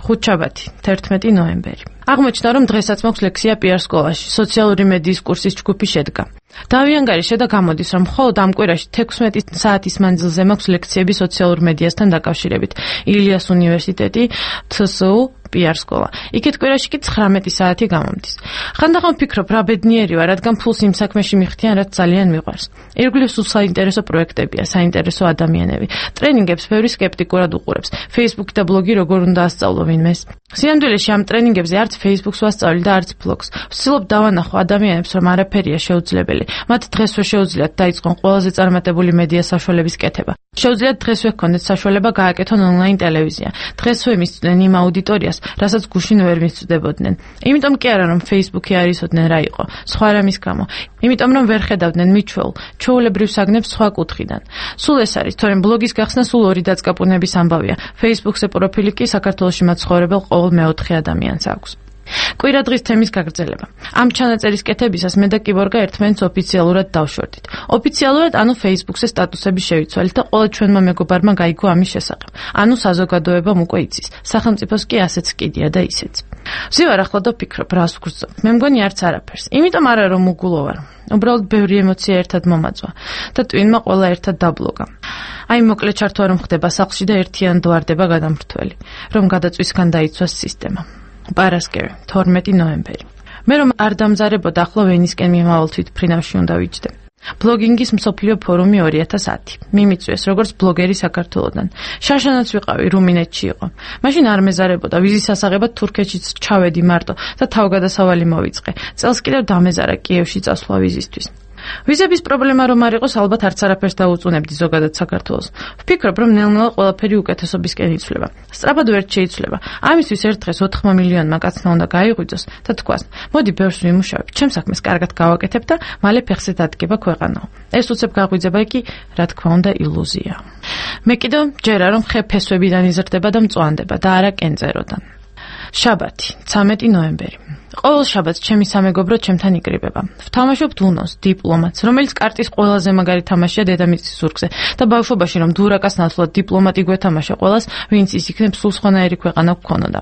ხუთშაბათი, თერთმეტი ნოემბერი. აღმოჩნდა რომ დღესაც მაქვს ლექსია პიარ სკოლაში, სოციალური მედიის კურსის ჯგუფი შედგა. დავიანგარიშე და გამოდის რომ მხოლოდ ამ კვირაში თექვსმეტი საათის მანძილზე მაქვს ლექციები სოციალურ მედიასთან დაკავშირებით. ილიას უნივერსიტეტი, თე ეს უ, პიარ სკოლა. იქეთ კვირაში კი ცხრამეტი საათი გამომდის. ხანდახან ვფიქრობ, რა ბედნიერი ვარ, რადგან ფულს იმ საქმეში მიხდიან, რაც ძალიან მიყვარს. ირგვლივ სულ საინტერესო პროექტებია, საინტერესო ადამიანები. ტრენინგებს ბევრი სკეპტიკურად უყურებს. Facebook და ბლოგი როგორ უნდა ასწავლო ვინმეს. სინამდვილეში ამ ტრენინგებზე არც Facebook-ს ვასწავლი და არც ბლოგს. ვცდილობ დავანახო ადამიანებს, რომ არაფერია შეუძლებელი. მათ დღესვე შეუძლიათ დაიწყონ ყველაზე წარმატებული მედია საშუალების კეთება. შეუძლიათ დღესვე ჰქონდეთ საშუალება გააკეთონ ონლაინ ტელევიზია. დღესვე მისწვდნენ იმ აუდიტორიას, რასაც გუშინ ვერ მისწვდებოდნენ. იმიტომ კი არა რომ Facebook-ი არ იცოდნენ რა იყო, სხვა რამის გამო. იმიტომ რომ ვერ ხედავდნენ მიჩვეულ, ჩვეულებრივ საგნებს სხვა კუთხიდან. სულ ეს არის, თორემ ბლოგის გახსნა სულ ორი დაწყაპუნების ამბავია. Facebook-ზე პროფილი კი საქართველოში მაცხოვრებელ ყოველ მეოთხე ადამიანს აქვს. კვირა დღის თემის გაგრძელება. ამ ჩანაწერის კეთებისას მე და კიბორგა ერთმანეთს ოფიციალურად დავშორდით. ოფიციალურად, ანუ Facebook-ზე სტატუსები შევიცვალით და ყველა ჩვენმა მეგობარმა გაიგო ამის შესახებ. ანუ საზოგადოებამ უკვე იცის. სახელმწიფოს კი ასეც კიდია და ისეც. ვზივარ ახლა და ვფიქრობ, რას ვგრძნობ. მე მგონი არც არაფერს. იმიტომ არა რომ უგულო ვარ. უბრალოდ ბევრი ემოცია ერთად მომაწვა და ტვინმა ყველა ერთად დაბლოგა. აი მოკლე ჩართვა რომ ხდება სახლში და ერთიან დვარდება გადამრთველი, რომ გადაწვისგან დაიცვას სისტემა. პარასკევი, თორმეტი ნოემბერი. მე რომ არ დამზარებოდა, ახლა ვენისკენ მიმავალ თვითმფრინავში უნდა ვიჯდე. ბლოგინგის მსოფლიო ფორუმი ორი ათას ათი. მიმიწვიეს როგორც ბლოგერი საქართველოდან. შაშანაც ვიყავი, რუმინეთში იყო. მაშინ არ მეზარებოდა, ვიზის ასაღებად თურქეთშიც ჩავედი მარტო და თავგადასავალი მოვიწყე. წელს კიდევ დამეზარა კიევში წასვლა ვიზისთვის. ვიზების პრობლემა რომ არ იყოს, ალბათ არც არაფერს დაუწუნებდი ზოგადად საქართველოს. ვფიქრობ, რომ ნელ-ნელა ყველაფერი უკეთესობისკენ იცვლება. სწრაფად ვერ შეიცვლება. ამისთვის ერთ დღეს ოთხმა მილიონმა კაცმა უნდა გაიღვიძოს და თქვას, მოდი ბევრს ვიმუშავებ, ჩემ საქმეს კარგად გავაკეთებ და მალე ფეხზე დადგება ქვეყანაო. ეს უცებ გაღვიძება კი, რა თქმა უნდა, ილუზია. მე კიდევ ჯერა რომ ხე ფესვებიდან იზრდება და მწვანდება და არა კენწეროდან. შაბათი, ცამეტი ნოემბერი. ყოველ შაბათს ჩემი სამეგობრო ჩემთან იკრიბება. ვთამაშობთ უნოს, დიპლომატს, რომელიც კარტის ყველაზე მაგარი თამაშია დედამიწის ზურგზე და ბავშვობაში რომ დურაკას ნაცვლად დიპლომატი გვეთამაშა ყველას, ვინც ის იქნებ სულ სხვანაირი ქვეყანა გქონოდა.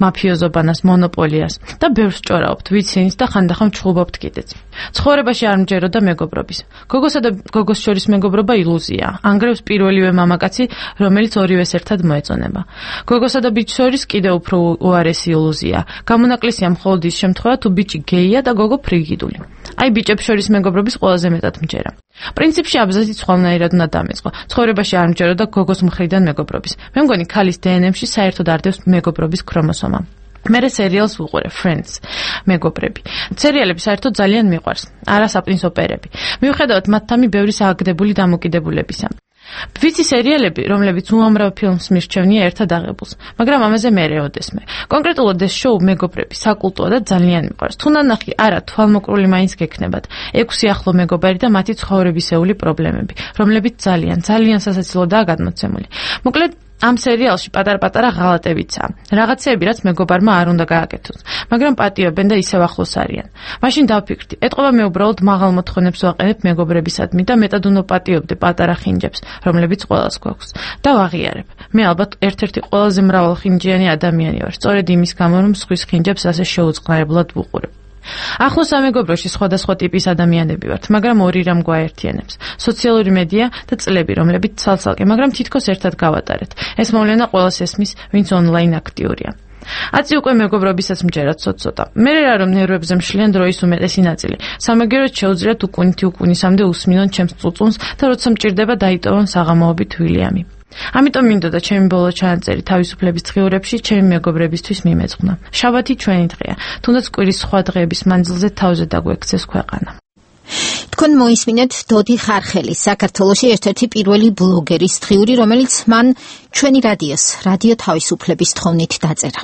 მაფიოზობანას, მონოპოლიას და ბევრს ჭორაობთ, ვიცინს და ხანდახან ჩხუბობთ კიდეც. ცხოვრებაში არ მჯეროდა მეგობრობის. გოგოსა და გოგოს შორის მეგობრობა ილუზია. ანგრევს პირველივე მამაკაცი, რომელიც ორივეს ერთად მოეწონება. გოგოსა და ბიჭს შორის კიდევ უფრო უარესი ილუზია. გამონაკლისია მხოლოდ ის შემთხვევა თუ ბიჭი გეია და გოგო ფრიგიდული. აი ბიჭებს შორის მეგობრობის ყველაზე მეტად მჯერა. პრინციპში აბზაცი სხვანაირად უნდა დამეწყო. ცხოვრებაში არ მჯეროდა გოგოს მხრიდან მეგობრობის. მე მგონი ქალის დე ენ ემში საერთოდ არ დევს მეგობრობის ქრომოსომა. მე სერიალს ვუყურე Friends, მეგობრები. სერიალები საერთოდ ძალიან მიყვარს, არა საპრინც ოპერები. მიუხედავად მათთამი ბევრი სააგდებული დამოკიდებულებისა. ვიცი სერიალები, რომლებიც უამრავ ფილმს მირჩევნია ერთად აღებულს, მაგრამ ამაზე მერე ოდესმე. კონკრეტულად ეს შოუ მეგობრები საკულტოა და ძალიან მიყვარს. თუ ნანახი არა, თვალმოკრული მაინც გექნებათ. ექვსი ახლო მეგობარი და მათი ცხოვრებისეული პრობლემები, რომლებიც ძალიან, ძალიან სასაცილოდაა გადმოცემული. მოკლედ ამ სერიალში პატარ-პატარა ღალატებიცაა. რაღაცეები, რაც მეგობარმა არ უნდა გააკეთოს, მაგრამ პატიობენ და ისევ ახლოს არიან. მაშინ დავფიქრდი, ეტყობა მე უბრალოდ მაღალ მოთხოვნებს ვაყენებ მეგობრებისადმი და მეტად უნდა პატიობდე პატარა ხინჯებს, რომლებიც ყველას გვაქვს. და ვაღიარებ. მე ალბათ ერთ-ერთი ყველაზე მრავალხინჯიანი ადამიანი ვარ, სწორედ იმის გამო, რომ სხვის ხინჯებს ასე შეუწყნარებლად ვუყურებ. ახლოს სამეგობროში სხვადასხვა ტიპის ადამიანები ვართ, მაგრამ ორი რამ გვაერთიანებს: სოციალური მედია და წლები, რომლებიც ცალ-ცალკე, მაგრამ თითქოს ერთად გავატარეთ. ეს მოვლენა ყველას ესმის, ვინც ონლაინ აქტიურია. აცი უკვე მეგობრობისაც მჯერათ ცოტ-ცოტა. მე რა რომ ნერვებზე მშლიან დროის უმეტესი ნაწილი. სამაგეროდ შეუძლიათ უკუნითი უკუნისამდე უსმინონ ჩემს წუწუნს და როცა მჭირდება დაიტოვონ საღამოობით ვილიამი. ამიტომ მინდოდა ჩემი ბოლო ჩანაწერი თავისუფლების დღიურებში ჩემი მეგობრებისთვის მიმეძღვნა. შაბათი ჩვენი დღეა, თუნდაც კვირის სხვა დღეების მანძილზე თავზე დაგვექცეს ქვეყანა. თქვენ მოისმინეთ დოდი ხარხელის, საქართველოში ერთ-ერთი პირველი ბლოგერის დღიური, რომელიც მან ჩვენი რადიოს, რადიო თავისუფლების თხოვნით დაწერა.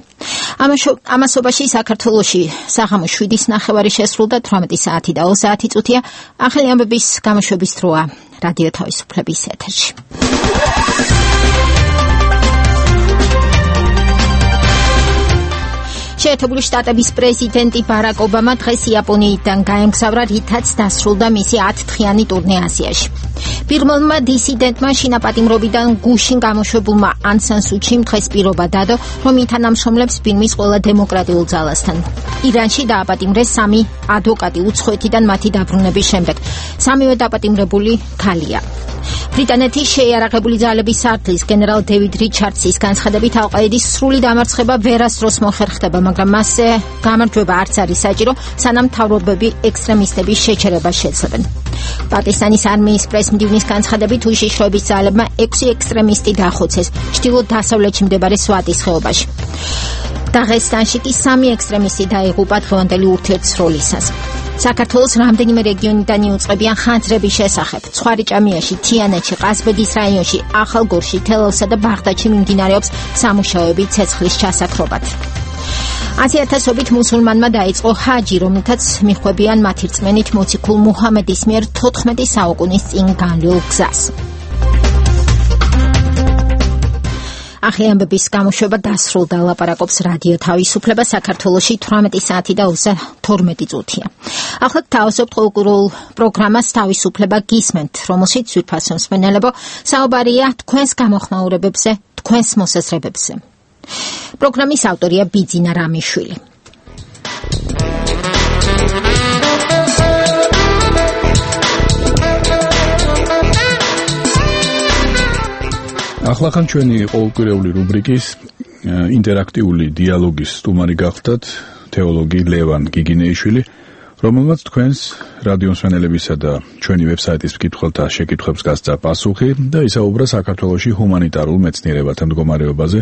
ამასობაში საქართველოში საღამო შვიდის ნახევარი შესრულდა, თვრამეტი საათი და ოცი საათი წუთია. ახალი ამბების გამოშვების დროა რადიო თავისუფლების ეთერში. შეერთებული შტატების პრეზიდენტი ბარაკ ობამა დღეს იაპონიიდან გაემგზავრა, რითაც დასრულდა მისი ათდღიანი ტურნე აზიაში. პირველმა დისიდენტმა შინაპატიმრობიდან გუშინ გამოშვებულმა ან სან სუ ჩიმ დღეს პირობა დადო, რომ ითანამშრომლებს ბირმის ყველა დემოკრატიულ ძალასთან. ირანში დააპატიმრეს სამი ადვოკატი უცხოეთიდან მათი დაბრუნების შემდეგ. სამივე დაპატიმრებული ქალია. ბრიტანეთის შეიარაღებული ძალების სარდლის გენერალ დევიდ რიჩარდსის განცხადებით ალ-ყაიდის სრული დამარცხება ვერასდროს მოხერხდება, მაგრამ მასზე გამარჯვება არც არის საჭირო, სანამ მთავრობები ექსტრემისტების შეჩერებას შეძლებენ. პაკისტანის არმიის პრესმდივნის განცხადებით უშიშროების ძალებმა ექვსი ექსტრემისტი დახოცეს ჩრდილო-დასავლეთში მდებარე სვატის ხეობაში. დაღესტანში კი სამი ექსტრემისტი დაიღუპა დღევანდელი ურთიერთსროლისას. საქართველოს რამდენიმე რეგიონიდან იუწყებიან ხანძრების შესახებ. ცხვარიჭამიაში, თიანეთში, ყაზბეგის რაიონში, ახალგორში, თელავსა და ბაღდადში მიმდინარეობს სამუშაოები ცეცხლის ჩასაქრობად. ათი ათასობით მუსულმანმა დაიწყო ჰაჯი, რომელთაც მიხვებიან მათი რწმენით მოციქულ მუჰამედის მიერ თოთხმეტი საუკუნის წინ განვლილ გზას. ახალი ამბების გამოშვება დასრულდა, ლაპარაკობს რადიო თავისუფლება, საქართველოში თვრამეტი საათი და ოცდათორმეტი წუთია. ახლა თავისუფლ კულტურულ პროგრამას თავისუფლება გისმენთ, რომელშიც ძვირფასო მსმენელებო საუბარია თქვენს გამოხმაურებებზე, თქვენს მოსაზრებებზე. პროგრამის ავტორია ბიძინა რამიშვილი. ახლახან ჩვენი ყოველკვირეული რუბრიკის ინტერაქტიული დიალოგის სტუმარი გახდათ თეოლოგი ლევან გიგინეიშვილი, რომელმაც თქვენს რადიო მსმენელებისა და ჩვენი ვებსაიტის მკითხველთა შეკითხვებს გასცა პასუხი და ისაუბრა საქართველოში ჰუმანიტარულ მეცნიერებათა მდგომარეობაზე,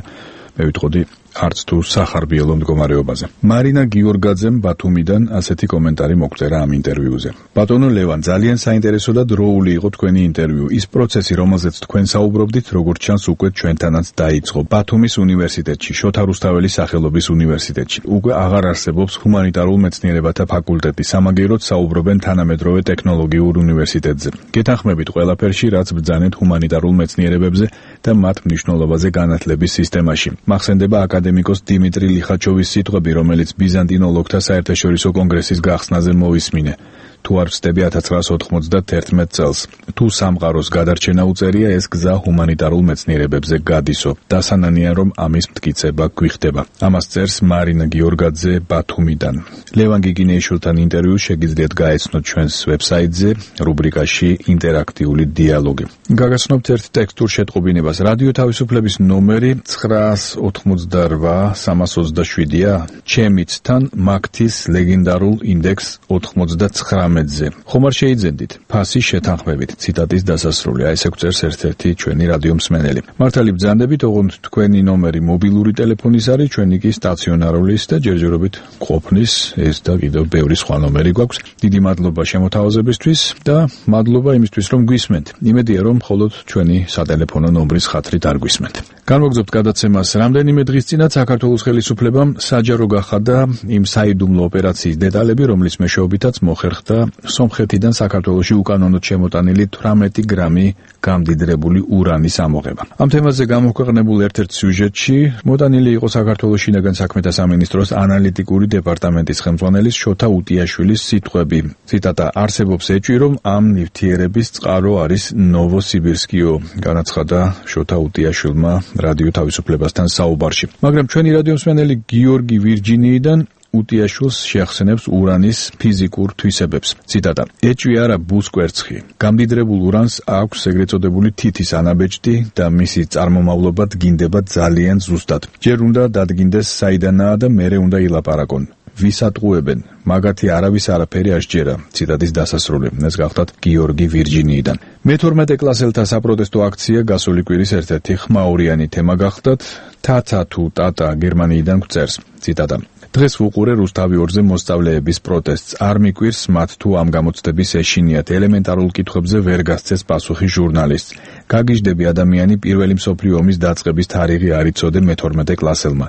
მე ვიტყოდი არც თუ სახარბიელო მდგომარეობაზე. მარინა გიორგაძემ ბათუმიდან ასეთი კომენტარი მოგწერა ამ ინტერვიუზე. ბატონო ლევან, ძალიან საინტერესო და დროული იყო თქვენი ინტერვიუ. ის პროცესი, რომელზეც თქვენ საუბრობდით, როგორც ჩანს უკვე ჩვენთანაც დაიწყო. ბათუმის უნივერსიტეტში, შოთა რუსთაველის სახელობის უნივერსიტეტში. უკვე აღარ არსებობს ჰუმანიტარულ მეცნიერებათა ფაკულტეტი, სამაგიეროდ საუბრობენ თანამედროვე ტექნოლოგიურ უნივერსიტეტზე. გეთანხმებით ყველაფერში, რაც ბრძანეთ ჰუმანიტარულ მეცნიერებებზე და მათ მნიშვნელობაზე განათლების სისტემაში. მახსენდება აკადემიკოს დიმიტრი ლიხაჩოვის სიტყვები, რომელიც ბიზანტინოლოგთა საერთაშორისო კონგრესის გახსნაზე მოვისმინე. თუ არ ვწდები ათას ცხრაასი ოთხმოცდათერთმეტ წელს. თუ სამყაროს გადარჩენა უწერია, ეს გზა ჰუმანიტარულ მეცნიერებებზე გადისო. დასანანია, რომ ამის მტკიცება გვიხდება. ამას წერს მარინა გიორგაძე ბათუმიდან. ლევან გიგინეიშვილთან ინტერვიუ შეგიძლიათ გაეცნოთ ჩვენს ვებსაიტზე, რუბრიკაში ინტერაქტიული დიალოგი. გაგაცნობთ ერთ ტექსტურ შეტყობინებას. რადიო თავისუფლების ნომერი ცხრაასი ოცდარვა სამას ოცდაშვიდია. ჩემიცთან მაგთის ლეგენდარულ ინდექს ოთხმოცდაცხრამეტ თორმეტზე. ხომარ შეიძენდით, ფასი შეთანხმებით. ციტატის დასასრული. აი ესე გვწერს ერთ-ერთი ჩვენი რადიო მსმენელი. მართალი ბრძანდებით, ოღონდ თქვენი ნომერი მობილური ტელეფონის არის, ჩვენი კი სტაციონარულის და ჯერჯერობით ყოფნის ეს და კიდევ ბევრი სხვა ნომერი გვაქვს. დიდი მადლობა შემოთავაზებისთვის და მადლობა იმისთვის, რომ გვისმენთ. იმედია, რომ მხოლოდ ჩვენი სატელეფონო ნომრის ხათრით არ გვისმენთ. განვაგრძობთ გადაცემას. რამდენიმე დღის წინათ საქართველოს ხელისუფლებამ საჯარო გახადა იმ საიდუმლო ოპერაციის დეტალები, რომლის მეშვეობითაც მოხერხდა სომხეთიდან საქართველოში უკანონოდ შემოტანილი თვრამეტი გრამი გამდიდრებული ურანის ამოღება. ამ თემაზე გამოქვეყნებულ ერთ-ერთ სიუჟეტში მოტანილი იყო საქართველოს შინაგან საქმეთა სამინისტროს ანალიტიკური დეპარტამენტის ხელმძღვანელის შოთა უტიაშვილის სიტყვები. ციტატა: არსებობს ეჭვი, რომ ამ ნივთიერების წყარო არის ნოვოსიბირსკიო, განაცხადა შოთა უტიაშვილმა რადიო თავისუფლებასთან საუბარში. მაგრამ ჩვენი რადიო მსმენელი გიორგი ვირჯინიიდან უტიაშვილს შეახსენებს ურანის ფიზიკურ თვისებებს. ციტატა: ეჭვი არა ბუსკვერცხი. გამდიდრებულ ურანს აქვს ეგრეთ წოდებული თითის ანაბეჭდი და მისი წარმომავლობა დგინდება ძალიან ზუსტად. ჯერ უნდა დადგინდეს საიდანაა და მერე უნდა ილაპარაკონ. ვისატყუებენ, მაგათი არავის არაფერი არ სჯერა. ციტატის დასასრული. ეს გახლავთ გიორგი ვირჯინიიდან. მეთორმეტე კლასელთა საპროტესტო აქცია გასული კვირის ერთ-ერთი ხმაურიანი თემა გახლდათ. თათა თუ ტატა გერმანიიდან გვწერს. ციტატა: დღეს ვუყურე რუსთავი ორზე მოსწავლეების პროტესტს. არ მიკვირს მათ თუ ამ გამოცდების ეშინიათ. ელემენტარულ კითხვებზე ვერ გასცეს პასუხი ჟურნალისტს. გაგიჟდები ადამიანი პირველი მსოფლიო ომის დაწყების თარიღი არ იცოდე მეთორმეტე კლასელმა.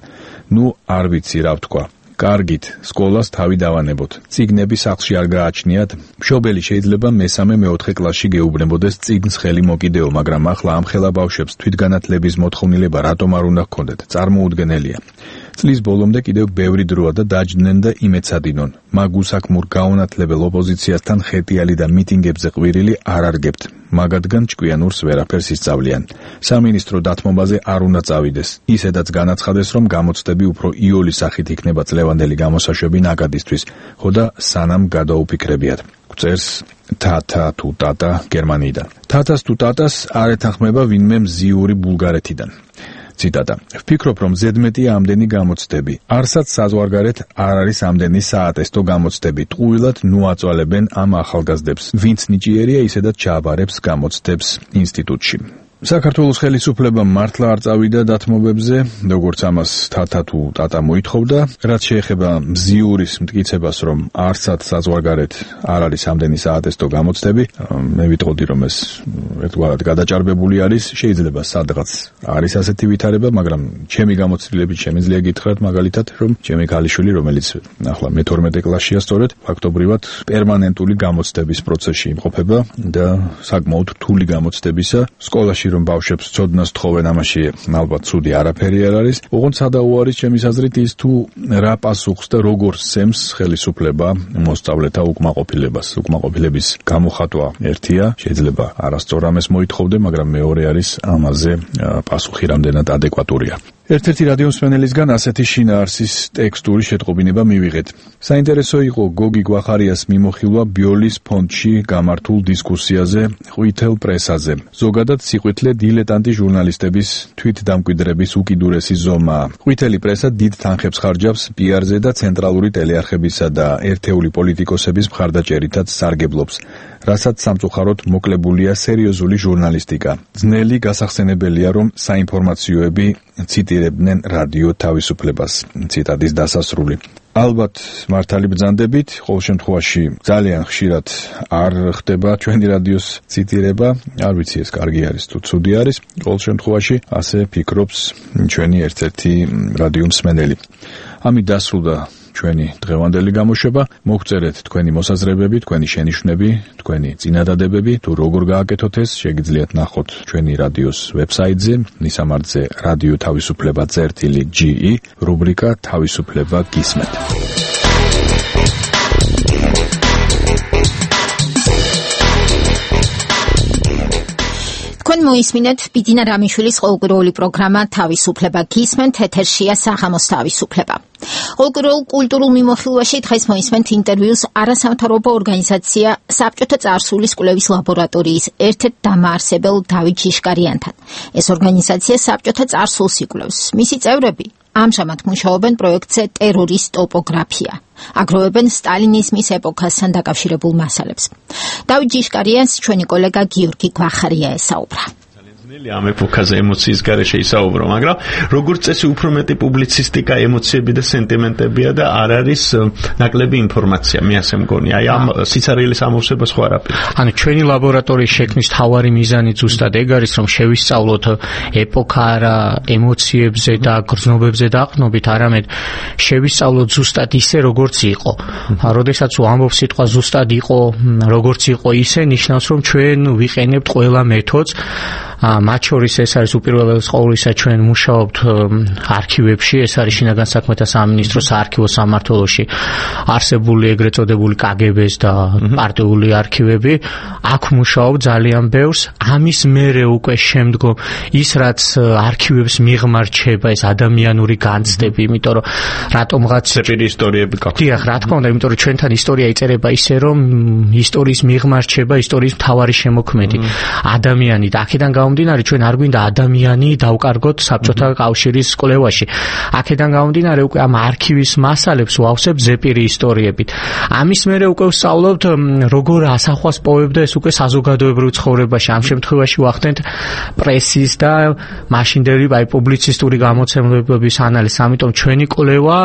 ნუ არ ვიცი რა ვთქვა. კარგით, სკოლას თავი დავანებოთ. წიგნები სახლში არ გააჩნიათ. მშობელი შეიძლება მესამე მეოთხე კლასში გეუბნებოდეს წიგნს ხელი მოკიდეო, მაგრამ ახლა ამ ხელა ბავშვებს თვითგანათლების მოთხოვნილება რატომ არ უნდა ჰქონდეთ? წარმოუდგენელია. წლის ბოლომდე კიდევ ბევრი დროა და დაჯდნენ და იმეცადინონ. მაგ უსაქმურ გაუნათლებელ ოპოზიციასთან ხეტიალი და მიტინგებზე ყვირილი არ არგებთ. მაგადგან ჭკვიანურს ვერაფერს ისწავლიან. სამინისტრო დათმობაზე არ უნდა წავიდეს. ისედაც განაცხადეს, რომ გამოცდები უფრო იოლის სახით იქნება წლევანდელი გამოსაშვები ნაკადისთვის, ხო და სანამ გადაუფიქრებიათ. გვწერს თათა თუ ტატა გერმანიიდან. თათას თუ ტატას არ ეთანხმება ვინმე მზიური ბულგარეთიდან. ციტატა: ვფიქრობ, რომ ზედმეტია ამდენი გამოცდები. არსაც საზღვარგარეთ არ არის ამდენი საატესტო გამოცდები. ტყუილად ნუ აწვალებენ ამ ახალგაზრდებს. ვინც ნიჭიერია, ისედაც ჩააბარებს გამოცდებს ინსტიტუტში. საქართველოს ხელისუფლება მართლა არ წავიდა დათმობებზე, როგორც ამას თათა თუ ტატა მოითხოვდა, რაც შეეხება მზიურის მტკიცებას, რომ არცად საზღვარგარეთ არ არის ამდენი საატესტო გამოცდები. მე ვიტყოდი, რომ ეს ერთგვარად გადაჭარბებული არის, შეიძლება სადღაც არის ასეთი ვითარება, მაგრამ ჩემი გამოცდილებით შემიძლია გითხრათ მაგალითად, რომ ჩემი ქალიშვილი, რომელიც ახლა მეთორმეტე კლასშია სწორედ, ფაქტობრივად პერმანენტული გამოცდების პროცესში იმყოფება და საკმაოდ რთული გამოცდებისა სკოლაში რომ ბავშვებს ცოდნას თხოვენ, ამაში ალბათ ცუდი არაფერი არ არის. ოღონდ სადაო არის ჩემის აზრით ის თუ რა პასუხს და როგორ სცემს ხელისუფლება მოსწავლეთა უკმაყოფილებას. უკმაყოფილების გამოხატვა ერთია, შეიძლება არასწორ ამას მოითხოვდე, მაგრამ მეორე არის ამაზე პასუხი რამდენად ადეკვატურია. ერთ-ერთი რადიო მსმენელისგან ასეთი შინაარსის ტექსტური შეტყობინება მივიღეთ. საინტერესო იყო გოგი გვახარიას მიმოხილვა ბიოლის ფონდში გამართულ დისკუსიაზე ყვითელ პრესაზე. ზოგადად სიყვითლე დილეტანტი ჟურნალისტების თვითდამკვიდრების უკიდურესი ზომაა. ყვითელი პრესა დიდ თანხებს ხარჯავს პიარზე და ცენტრალური ტელეარხებისა და ერთეული პოლიტიკოსების მხარდაჭერითაც სარგებლობს, რასაც სამწუხაროდ მოკლებულია სერიოზული ჟურნალისტიკა. ძნელი გასახსენებელია, რომ საინფორმაციოები ციტირებდნენ რადიო თავისუფლებას. ციტატის დასასრული. ალბათ მართალი ბრძანდებით, ყოველ შემთხვევაში ძალიან ხშირად არ ხდება ჩვენი რადიოს ციტირება. არ ვიცი ეს კარგი არის თუ ცუდი არის. ყოველ შემთხვევაში ასე ფიქრობს ჩვენი ერთ-ერთი რადიო მსმენელი. ამით დასრულდა ჩვენი დღევანდელი გამოშვება. მოგწერეთ თქვენი მოსაზრებები, თქვენი შენიშვნები, თქვენი წინადადებები, თუ როგორ გააკეთოთ ეს, შეგიძლიათ ნახოთ ჩვენი რადიოს ვებსაიტზე, მისამართზე რადიო თავისუფლება წერტილი ჯი ი, რუბრიკა თავისუფლება გისმენთ. თქვენ მოისმინეთ ბიძინა რამიშვილის ყოველკვირეული პროგრამა თავისუფლება გისმენთ, ეთერშია საღამოს თავისუფლება. ყოველკვირეულ კულტურულ მიმოხილვაში დღეს მოისმენთ ინტერვიუს არასამთავრობო ორგანიზაცია საბჭოთა წარსულის კვლევის ლაბორატორიის ერთ-ერთ დამაარსებელ დავით ჟიშკარიანთან. ეს ორგანიზაცია საბჭოთა წარსულს იკვლევს. მისი წევრები ამჟამად მუშაობენ პროექტზე ტერორის ტოპოგრაფია. აგროვებენ სტალინიზმის ეპოქასთან დაკავშირებულ მასალებს. დავით ჯიშკარიანს ჩვენი კოლეგა გიორგი გვახარია ესაუბრა. ამ ეპოქაზე ემოციის გარეშე ისაუბრო, მაგრამ როგორც წესი უფრო მეტი პუბლიცისტიკა, ემოციები და სენტიმენტებია და არ არის ნაკლები ინფორმაცია, მე ასე მგონი. აი ამ სიცარიელის ამოვსებას ხო არაფერი. ანუ ჩვენი ლაბორატორიის შექმნის თავარი მიზანი ზუსტად ეგ არის, რომ შევისწავლოთ ეპოქა არა ემოციებზე და გრძნობებზე დაყრდნობით, არამედ შევისწავლოთ ზუსტად ისე, როგორც იყო. როდესაც ვამბობ სიტყვა ზუსტად იყო, როგორც იყო ისე, ნიშნავს, რომ ჩვენ ვიყენებთ ყველა მეთოდს. მათ შორის ეს არის უპირველეს ყოვლისა ჩვენ მუშაობთ არქივებში, ეს არის შინაგან საქმეთა სამინისტროს საარქივო სამმართველოში არსებული ეგრეთ წოდებული კაგებეს და პარტიული არქივები. აქ მუშაობ ძალიან ბევრს. ამის მერე უკვე შემდგომ ის რაც არქივებს მიღმარჩება, ეს ადამიანური განცდები, იმიტომ რომ რატომღაც ზეპირი ისტორიები გაქვთ. დიახ, რა თქმა უნდა, იმიტომ რომ ჩვენთან ისტორია იწერება ისე, რომ ისტორიის მიღმარჩება ისტორიის მთავარი შემოქმედი ადამიანი და აქედან გამომდინარე ჩვენ არ გვინდა ადამიანი დავკარგოთ საბჭოთა კავშირის კვლევაში. აქედან გამომდინარე უკვე ამ არქივის მასალებს ვავსებ ზეპირი ისტორიებით. ამის მერე უკვე ვსწავლობთ როგორ ასახვას პოვებდა ეს უკვე საზოგადოებრივ ცხოვრებაში. ამ შემთხვევაში ვახდენთ პრესის და მაშინდელი აი პუბლიცისტური გამოცემლებების ანალიზს. ამიტომ ჩვენი კვლევა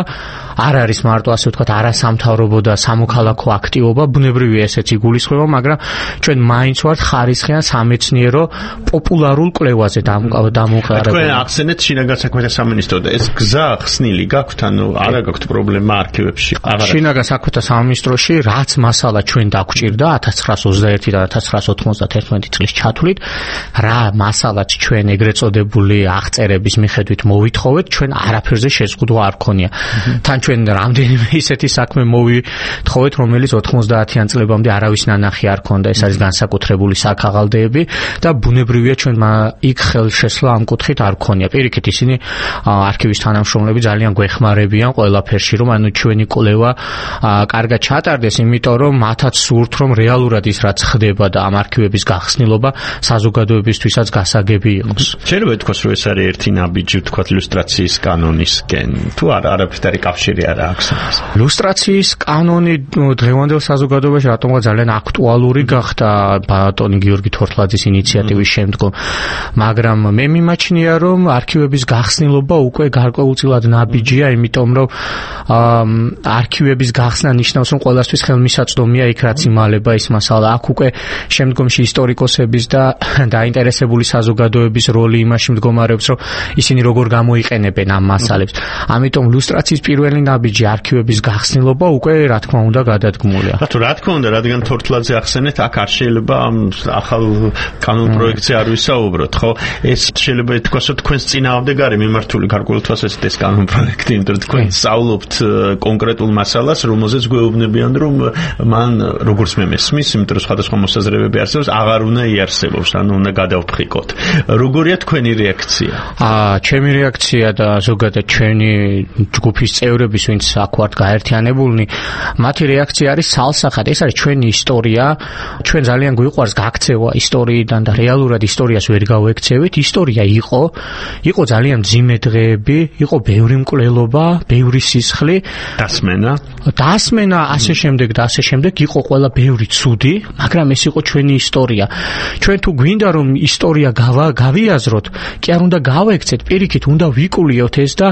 არ არის მარტო ასე ვთქვათ არასამთავრობო და სამოქალაქო აქტივობა, ბუნებრივია ესეც იგულისხმება, მაგრამ ჩვენ მაინც ვართ ხარისხიან სამეცნიერო პოპულარულ კვლევაზე დამოუკიდებელი. თქვენ ახსენეთ შინაგან საქმეთა სამინისტრო და ეს გზა ხსნილი გაქვთ, ანუ არა გაქვთ პრობლემა არქივებში? შინაგან საქმეთა სამინისტროში რაც მასალა ჩვენ დაგვჭირდა ათას ცხრაას ოცდაერთი და ათას ცხრაას ოთხმოცდათერთმეტი წლის ჩათვლით, რა მასალაც ჩვენ ეგრეთ წოდებული აღწერების მიხედვით მოვითხოვეთ, ჩვენ არაფერზე შეზღუდვა არ ქონია. თან ჩვენ რამდენიმე ისეთი საქმე მოვითხოვეთ, რომელიც ოთხმოცდაათიან წლებამდე არავის ნანახი არ ქონდა. ეს არის განსაკუთრებული საქაღალდეები და ბუნებრივია ჩვენ იქ ხელშესლა ამ კუთხით არ ქონია. პირიქით ისინი არქივის თანამშრომლები ძალიან გვეხმარებიან ყველაფერში, რომ ანუ ჩვენი კვლევა კარგად ჩატარდეს, იმიტომ რომ მათაც სურთ, რომ რეალურად ის რაც ხდება და ამ არქივების გახსნილობა საზოგადოებისთვისაც გასაგები იყოს. შეიძლება ითქვას, რომ ეს არის ერთი ნაბიჯი, ვთქვათ, ილუსტრაციის კანონისკენ. თუ არა, არაფერი კავშირი არ აქვს. ილუსტრაციის კანონი დღევანდელ საზოგადოებაში რატომღაც ძალიან აქტუალური გახდა ბატონი გიორგი თორთლაძის ინიციატივის შემდგომ. მაგრამ მე მიმაჩნია, რომ არქივების გახსნილობა უკვე გარკვეულწილად ნაბიჯია, იმიტომ რომ არქივების გახსნა ნიშნავს, რომ ყველასთვის ხელმისაწვდომია იქ რაც იმალება ის მასალა. აქ უკვე შემდგომში ისტორიკოსების და დაინტერესებული საზოგადოების როლი იმაში მდგომარეობს, რომ ისინი როგორ გამოიყენებენ ამ მასალებს. ამიტომ ილუსტრაციის პირველი ნაბიჯი არქივების გახსნილობა უკვე რა თქმა უნდა გადადგმულია. რატო რა თქმა უნდა, რადგან თორთლაძე ახსენეთ, აქ არ შეიძლება ამ ახალ კანონ პროექტზე არ ვისაუბროთ, ხო? ეს შეიძლება ითქვას, რომ თქვენს წინააღმდეგ არის მიმართული გარკვეულ თვალსაზრისით ეს კანონ პროექტი, იმიტომ რომ თქვენ სწავლობთ კონკრეტულ მასალას, რომელზეც გვეუბნებიან, რომ მან როგორც მე მესმის, იმიტომ რომ სხვადასხვა მოსაზრებები არსებობს, აღარ უნდა იარსებობს, ანუ უნდა გადავფრიკოთ. როგორია თქვენი რეაქცია? აა, ჩემი რეაქცია და ზოგადად ჩვენი ჯგუფის წევრების, ვინც აქ ვართ გაერთიანებულნი, მათი რეაქცია არის სალსახად. ეს არის ჩვენი ისტორია. ჩვენ ძალიან გვიყვარს გაქცევა ისტორიიდან და რეალურად ისტორიას ვერ გავექცევით. ისტორია იყო, იყო ძალიან მძიმე დღეები, იყო ბევრი მკვლელობა, ბევრი სისხლი, დასმენა, დასმენა, ასე შემდეგ და ასე შემდეგ, იყო ყველა ბევრი ცუდი, მაგრამ ეს იყო ჩვენი ისტორია. ჩვენ თუ გვინდა რომ ისტორია გავიაზროთ, კი არ უნდა გავექცეთ, პირიქით უნდა ვიკულიოთ ეს და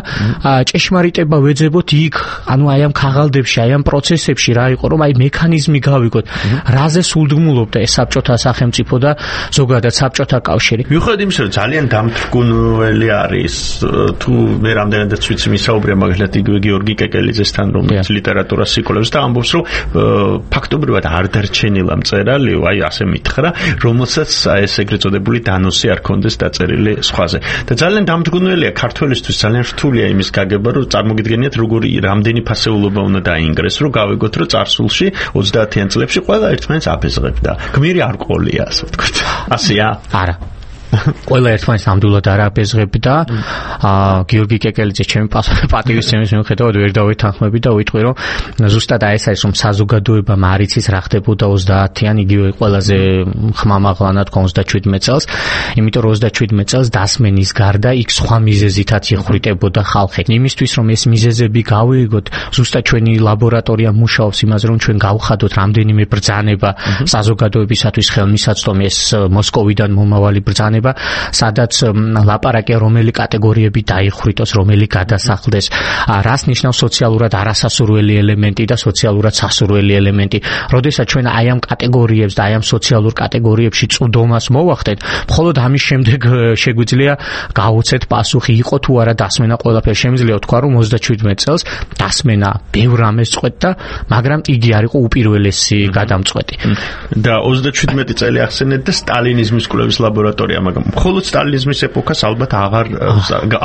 ჭეშმარიტება ვეძებოთ იქ, ანუ აი ამ ქაღალდებში, აი ამ პროცესებში რა იყო, რომ აი მექანიზმი გავიგოთ, რაზე სულდგმულობდა ეს საბჭოთა სახელმწიფო და ზოგადად საბჭოთა კავშირი. მიუხედავად იმისა, რომ ძალიან დამთრგუნველი არის, თუ მე რამდენადაც ვიცი მისაუბრია მაგალითად იგივე გიორგი კეკელიძესთან, რომელიც ლიტერატურას იკვლევს და ამბობს, რომ ფაქტობრივად არ დარჩენილა მწერალი, აი ასე მითხრა, რომელსაც ეს ეგრეთ წოდებული დანოსი არ ქონდეს დაწერილი სხვაზე. და ძალიან დამთრგუნველია ქართველისთვის, ძალიან რთულია იმის გაგება, რომ წარმოგიდგენიათ როგორი რამდენი ფასეულობა უნდა დაინგრეს, რომ გავიგოთ, რომ წარსულში ოცდაათიან წლებში ყველა ერთმანეთს აფეზღებდა. გმირი არ ყოლია, ასე ვთქვათ. ასეა? არა. ყველა ერთმანეთს ნამდვილად არ აბეზღებდა. აა გიორგი კეკელიძე ჩემი პატივისცემის მიუხედავად ვერ დავეთანხმები და ვიტყვი რომ ზუსტად აი ეს არის რომ საზოგადოება მარიცის რა ხდებოდა ოცდაათიან იგივე ყველაზე ხმამაღლანად ოცდაჩვიდმეტ წელს, იმიტომ რომ ოცდაჩვიდმეტ წელს დასმენის გარდა იქ სხვა მიზეზითაც იხვრიტებოდა ხალხი. იმისთვის რომ ეს მიზეზები გავიგოთ, ზუსტად ჩვენი ლაბორატორია მუშაობს იმაზე რომ ჩვენ გავხადოთ რამდენიმე ბრძანება საზოგადოებისათვის ხელმისაწვდომი ეს მოსკოვიდან მომავალი ბრძანება, სადაც ლაპარაკია რომელი კატეგორიები დაიხვრიტოს, რომელი გადასახლდეს, რას ნიშნავს სოციალურად არასასურველი ელემენტი და სოციალურად სასურველი ელემენტი. როდესაც ჩვენ აი ამ კატეგორიებს და აი ამ სოციალურ კატეგორიებში წვდომას მოვახდეთ, მხოლოდ ამის შემდეგ შეგვიძლია გავუცეთ პასუხი, იყო თუ არა დასმენა ყველაფერი. შემიძლია ვთქვა რომ ოცდაჩვიდმეტ წელს დასმენა ბევრ რამეს წვეთდა, მაგრამ იგი არ იყო უპირველესი გადამწყვეტი. და ოცდაჩვიდმეტი წელი ახსენეთ და სტალინიზმის კვლევის ლაბორატორია, მაგრამ მხოლოდ სტალინიზმის ეპოქას ალბათ აღარ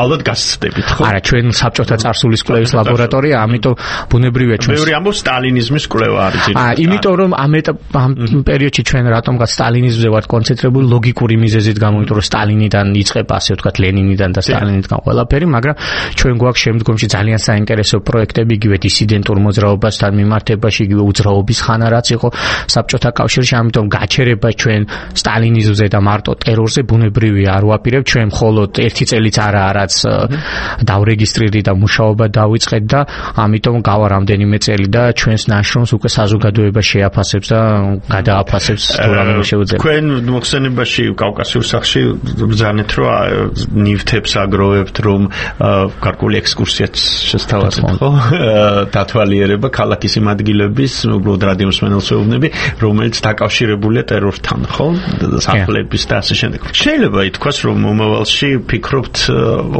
ალბათ გასცდებით, ხო? არა, ჩვენ საბჭოთა წარსულის კვლევის ლაბორატორია, ამიტომ ბუნებრივია ჩვენ. ბევრი ამბობს სტალინიზმის კვლევა არის ძირითადად. აა, იმიტომ რომ ამ ამ პერიოდში ჩვენ რატომღაც სტალინიზმზე ვართ კონცენტრირებული ლოგიკური მიზეზით გამო, იმიტომ რომ სტალინიდან იწყება, ასე ვთქვათ, ლენინიდან და სტალინიდან ყველაფერი, მაგრამ ჩვენ გვაქვს შემდგომში ძალიან საინტერესო პროექტები, იგივე დისიდენტურ მოძრაობასთან მიმართებაში, იგივე უძრაობის ხანა რაც იყო საბჭოთა კავშირში, ამიტომ გაჩერება ჩვენ სტალინიზმზე და მარტო ტერორზე ბუნებრივია არ ვაპირებ, ჩვენ მხოლოდ ერთი წელიც არაა რაც დავრეგისტრირდი და მუშაობა დავიწყეთ და ამიტომ გავა რამდენიმე წელი და ჩვენს ნაშრომს უკვე საზოგადოება შეაფასებს და გადააფასებს თუ რამე შეუძლია. თქვენ მოხსენებაში კავკასიურ სახლში ბრძანეთ რომ ნივთებს აგროვებთ, რომ გარკვეული ექსკურსიაც შესთავაზეთ, ხო? დათვალიერება ქალაქის იმ ადგილების, უბრალოდ რადიომსმენელს ვეუბნები, რომელიც დაკავშირებულია ტერორთან, ხო? სახლების და ასე შემდეგ. შეიძლება ითქვას, რომ მომავალში ფიქრობთ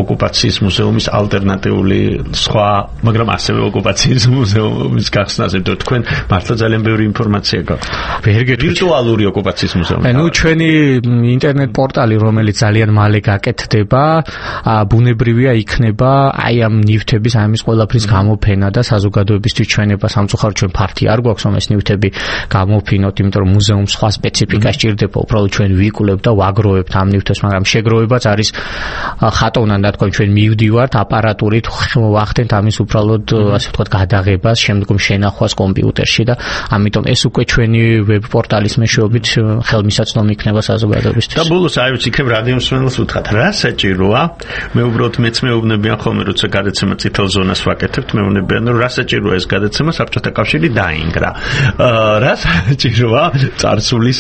ოკუპაციის მუზეუმის ალტერნატიული სხვა, მაგრამ ასევე ოკუპაციის მუზეუმის გახსნაზე, და თქვენ მართლა ძალიან ბევრი ინფორმაცია გაქვთ. ვირტუალური ოკუპაციის მუზეუმი. ნუ ჩვენი ინტერნეტ პორტალი, რომელიც ძალიან მალე გაკეთდება, ბუნებრივია იქნება აი ამ ნივთების, აი ამის ყველაფრის გამოფენა და საზოგადოებისთვის ჩვენება სამწუხაროდ ჩვენ ფართი არ გვაქვს რომ ეს ნივთები გამოფინოთ, იმიტომ რომ მუზეუმს სხვა სპეციფიკა სჭირდება, უბრალოდ ჩვენ ვიკვლევთ და ვაგროვებთ ამ ნივთებს, მაგრამ შეგროვებაც არის ხატოვნად და თქვენ ჩვენ მივდივართ აპარატურით, ვახდენთ ამის უბრალოდ ასე ვთქვათ გადაღებას, შემდგომ შენახვას კომპიუტერში და ამიტომ ეს უკვე ჩვენი ვებ პორტალის მეშვეობით ხელმისაწვდომი იქნება საზოგადოებისთვის. და ბოლოს აი ვიცი, იქნებ რადიომსმენელს უთხრათ, რა საჭიროა? მე უბრალოდ მეც მეუბნებიან ხოლმე, როცა გადაცემა წითელ ზონას ვაკეთებთ, მეუბნებიან, რომ რა საჭიროა ეს გადაცემა, საბჭოთა კავშირი დაინგრა. რა საჭიროა? წარსულის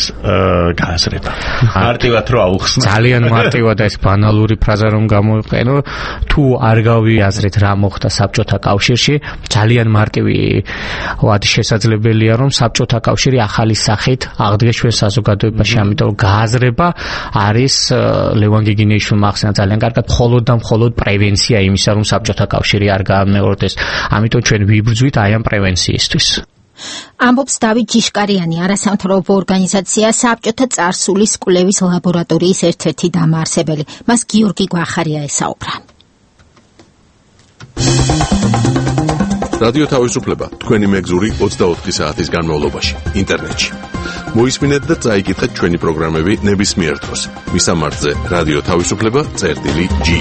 გააზრება. მარტივად რო აუხსნა. ძალიან მარტივად ეს ბანალური ფრაზა რომ გამოვიყენო, თუ არ გავიაზრეთ რა მოხდა საბჭოთა კავშირში, ძალიან მარტივი ვად შესაძლებელია რომ საბჭოთა კავშირი ახალი სახით აღდგეს ჩვენ საზოგადოებაში, ამიტომ გააზრება არის ლევან გიგინეიშვილმა ახსენა ძალიან კარგად, მხოლოდ და მხოლოდ პრევენცია იმისა, რომ საბჭოთა კავშირი არ გაამეორდეს. ამიტომ ჩვენ ვიბრძვით აი ამ პრევენციისთვის. ამბობს დავით ჯიშკარიანი, არასამთავრობო ორგანიზაცია საბჭოთა წარსულის კვლევის ლაბორატორიის ერთ-ერთი დამაარსებელი. მას გიორგი გვახარია ესაუბრა. რადიო თავისუფლება თქვენი მეგზური ოცდაოთხი საათის განმავლობაში ინტერნეტში. მოისმინეთ და წაიკითხეთ ჩვენი პროგრამები ნებისმიერ დროს. მისამართზე რადიო თავისუფლება წერტილი ჯი.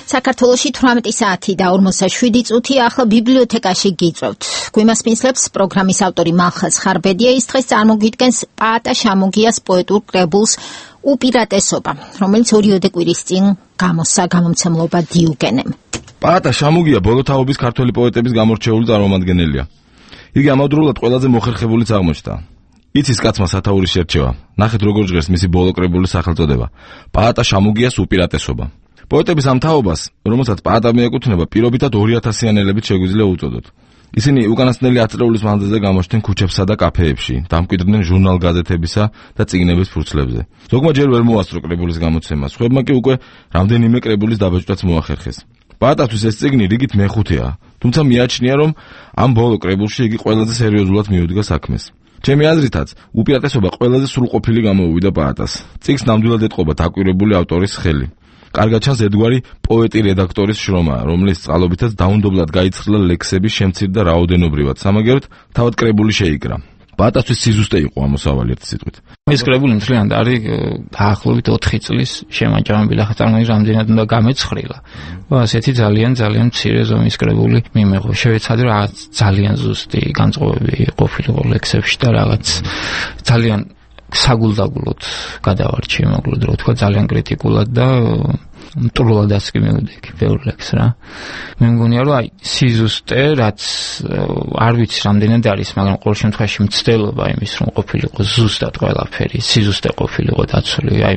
საქართველოში თვრამეტი საათი და ორმოცდაშვიდი წუთი, ახლა ბიბლიოთეკაში გიწევთ. გვიმასპინძლებს პროგრამის ავტორი მალხაზ ხარბედია, ის დღეს წარმოგიდგენს პაატა შამუგიას პოეტურ კრებულს უპირატესობა, რომელიც ორიოდე კვირის წინ გამოსცა გამომცემლობა დიუგენემ. პაატა შამუგია ბოლოთაობის ქართველი პოეტების გამორჩეული წარმომადგენელია. იგი ამავდროულად ყველაზე მოხერხებულიც აღმოჩნდა. იცის კაცმა სათაურის შერჩევა. ნახეთ როგორ ჟღერს მისი ბოლო კრებულის სახელწოდება. პაატა შამუგიას უპირატესობა. პოეტების ამ თაობას, რომელსაც პაატა მიეკუთვნება, პირობითად ორი ათასიანელებით შეგვიძლია უწოდოთ. ისინი უკანასკნელი ათწლეულის მანძილზე გამოჩნდნენ ქუჩებსა და კაფეებში, დამკვიდრდნენ ჟურნალ-გაზეთებისა და წიგნების ფურცლებზე. ზოგმა ჯერ ვერ მოასწრო კრებულის გამოცემა, სხვებმა კი უკვე რამდენიმე კრებულის დაბეჭდვაც მოახერხეს. პაატათვის ეს წიგნი რიგით მეხუთეა, თუმცა მიაჩნია, რომ ამ ბოლო კრებულში იგი ყველაზე სერიოზულად მიუდგა საქმეს. ჩემი აზრითაც, უპირატესობა ყველაზე სრულყოფილი გამოუვიდა პაატას. წიგნს ნამდვილად ეტყობა დაკვირვებული ავტორის ხელი. კარგად ჩანს ერთგვარი პოეტი რედაქტორის შრომა, რომლის წყალობითაც დაუნდობლად გაიცხრლა ლექსების შემცირდა რაოდენობრივად, სამაგეროდ თავად კრებული შეიკრა. პაატასთვის სიზუსტე იყო ამოსავალი ერთი სიტყვით. ეს კრებული მთლიანად არის დაახლოებით ოთხი წლის შემაჯამებელი, ახლა წარმოიდგინეთ რამდენად უნდა გამეცხრილა. ასეთი ძალიან ძალიან მცირე ზომის კრებული მიმეღო. შევეცადე რაღაც ძალიან ზუსტი განწყობები ყოფილიყო ლექსებში და რაღაც ძალიან საგულდაგულოდ გადავარჩი, მოკლედ რა ვთქვა, ძალიან კრიტიკულად და მტრულადაც კი მივდექი ბევრ ლექსს რა. მე მგონია რომ აი სიზუსტე რაც არ ვიცი რამდენად არის, მაგრამ ყოველ შემთხვევაში მცდელობა იმის რომ ყოფილიყო ზუსტად ყველაფერი, სიზუსტე ყოფილიყო დაცული. აი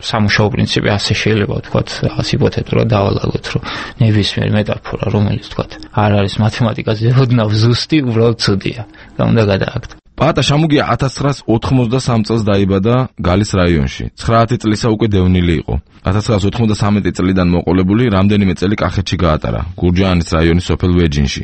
სამუშაო პრინციპი ასე შეიძლება ვთქვათ, რაღაც ჰიპოთეტურად დავალაგოთ, რომ ნებისმიერ მეტაფორა, რომელიც ვთქვათ, არ არის მათემატიკაზე ოდნავ ზუსტი, უბრალოდ ცუდია და უნდა გადააგდო. პაატა შამუგია ათას ცხრაას ოთხმოცდასამ წელს დაიბადა გალის რაიონში. ცხრაათი წლისა უკვე დევნილი იყო. ათას ცხრაას ოთხმოცდასამი წლიდან მოყოლებული რამდენიმე წელი კახეთში გაატარა, გურჯაანის რაიონის სოფელ ვეჯინში.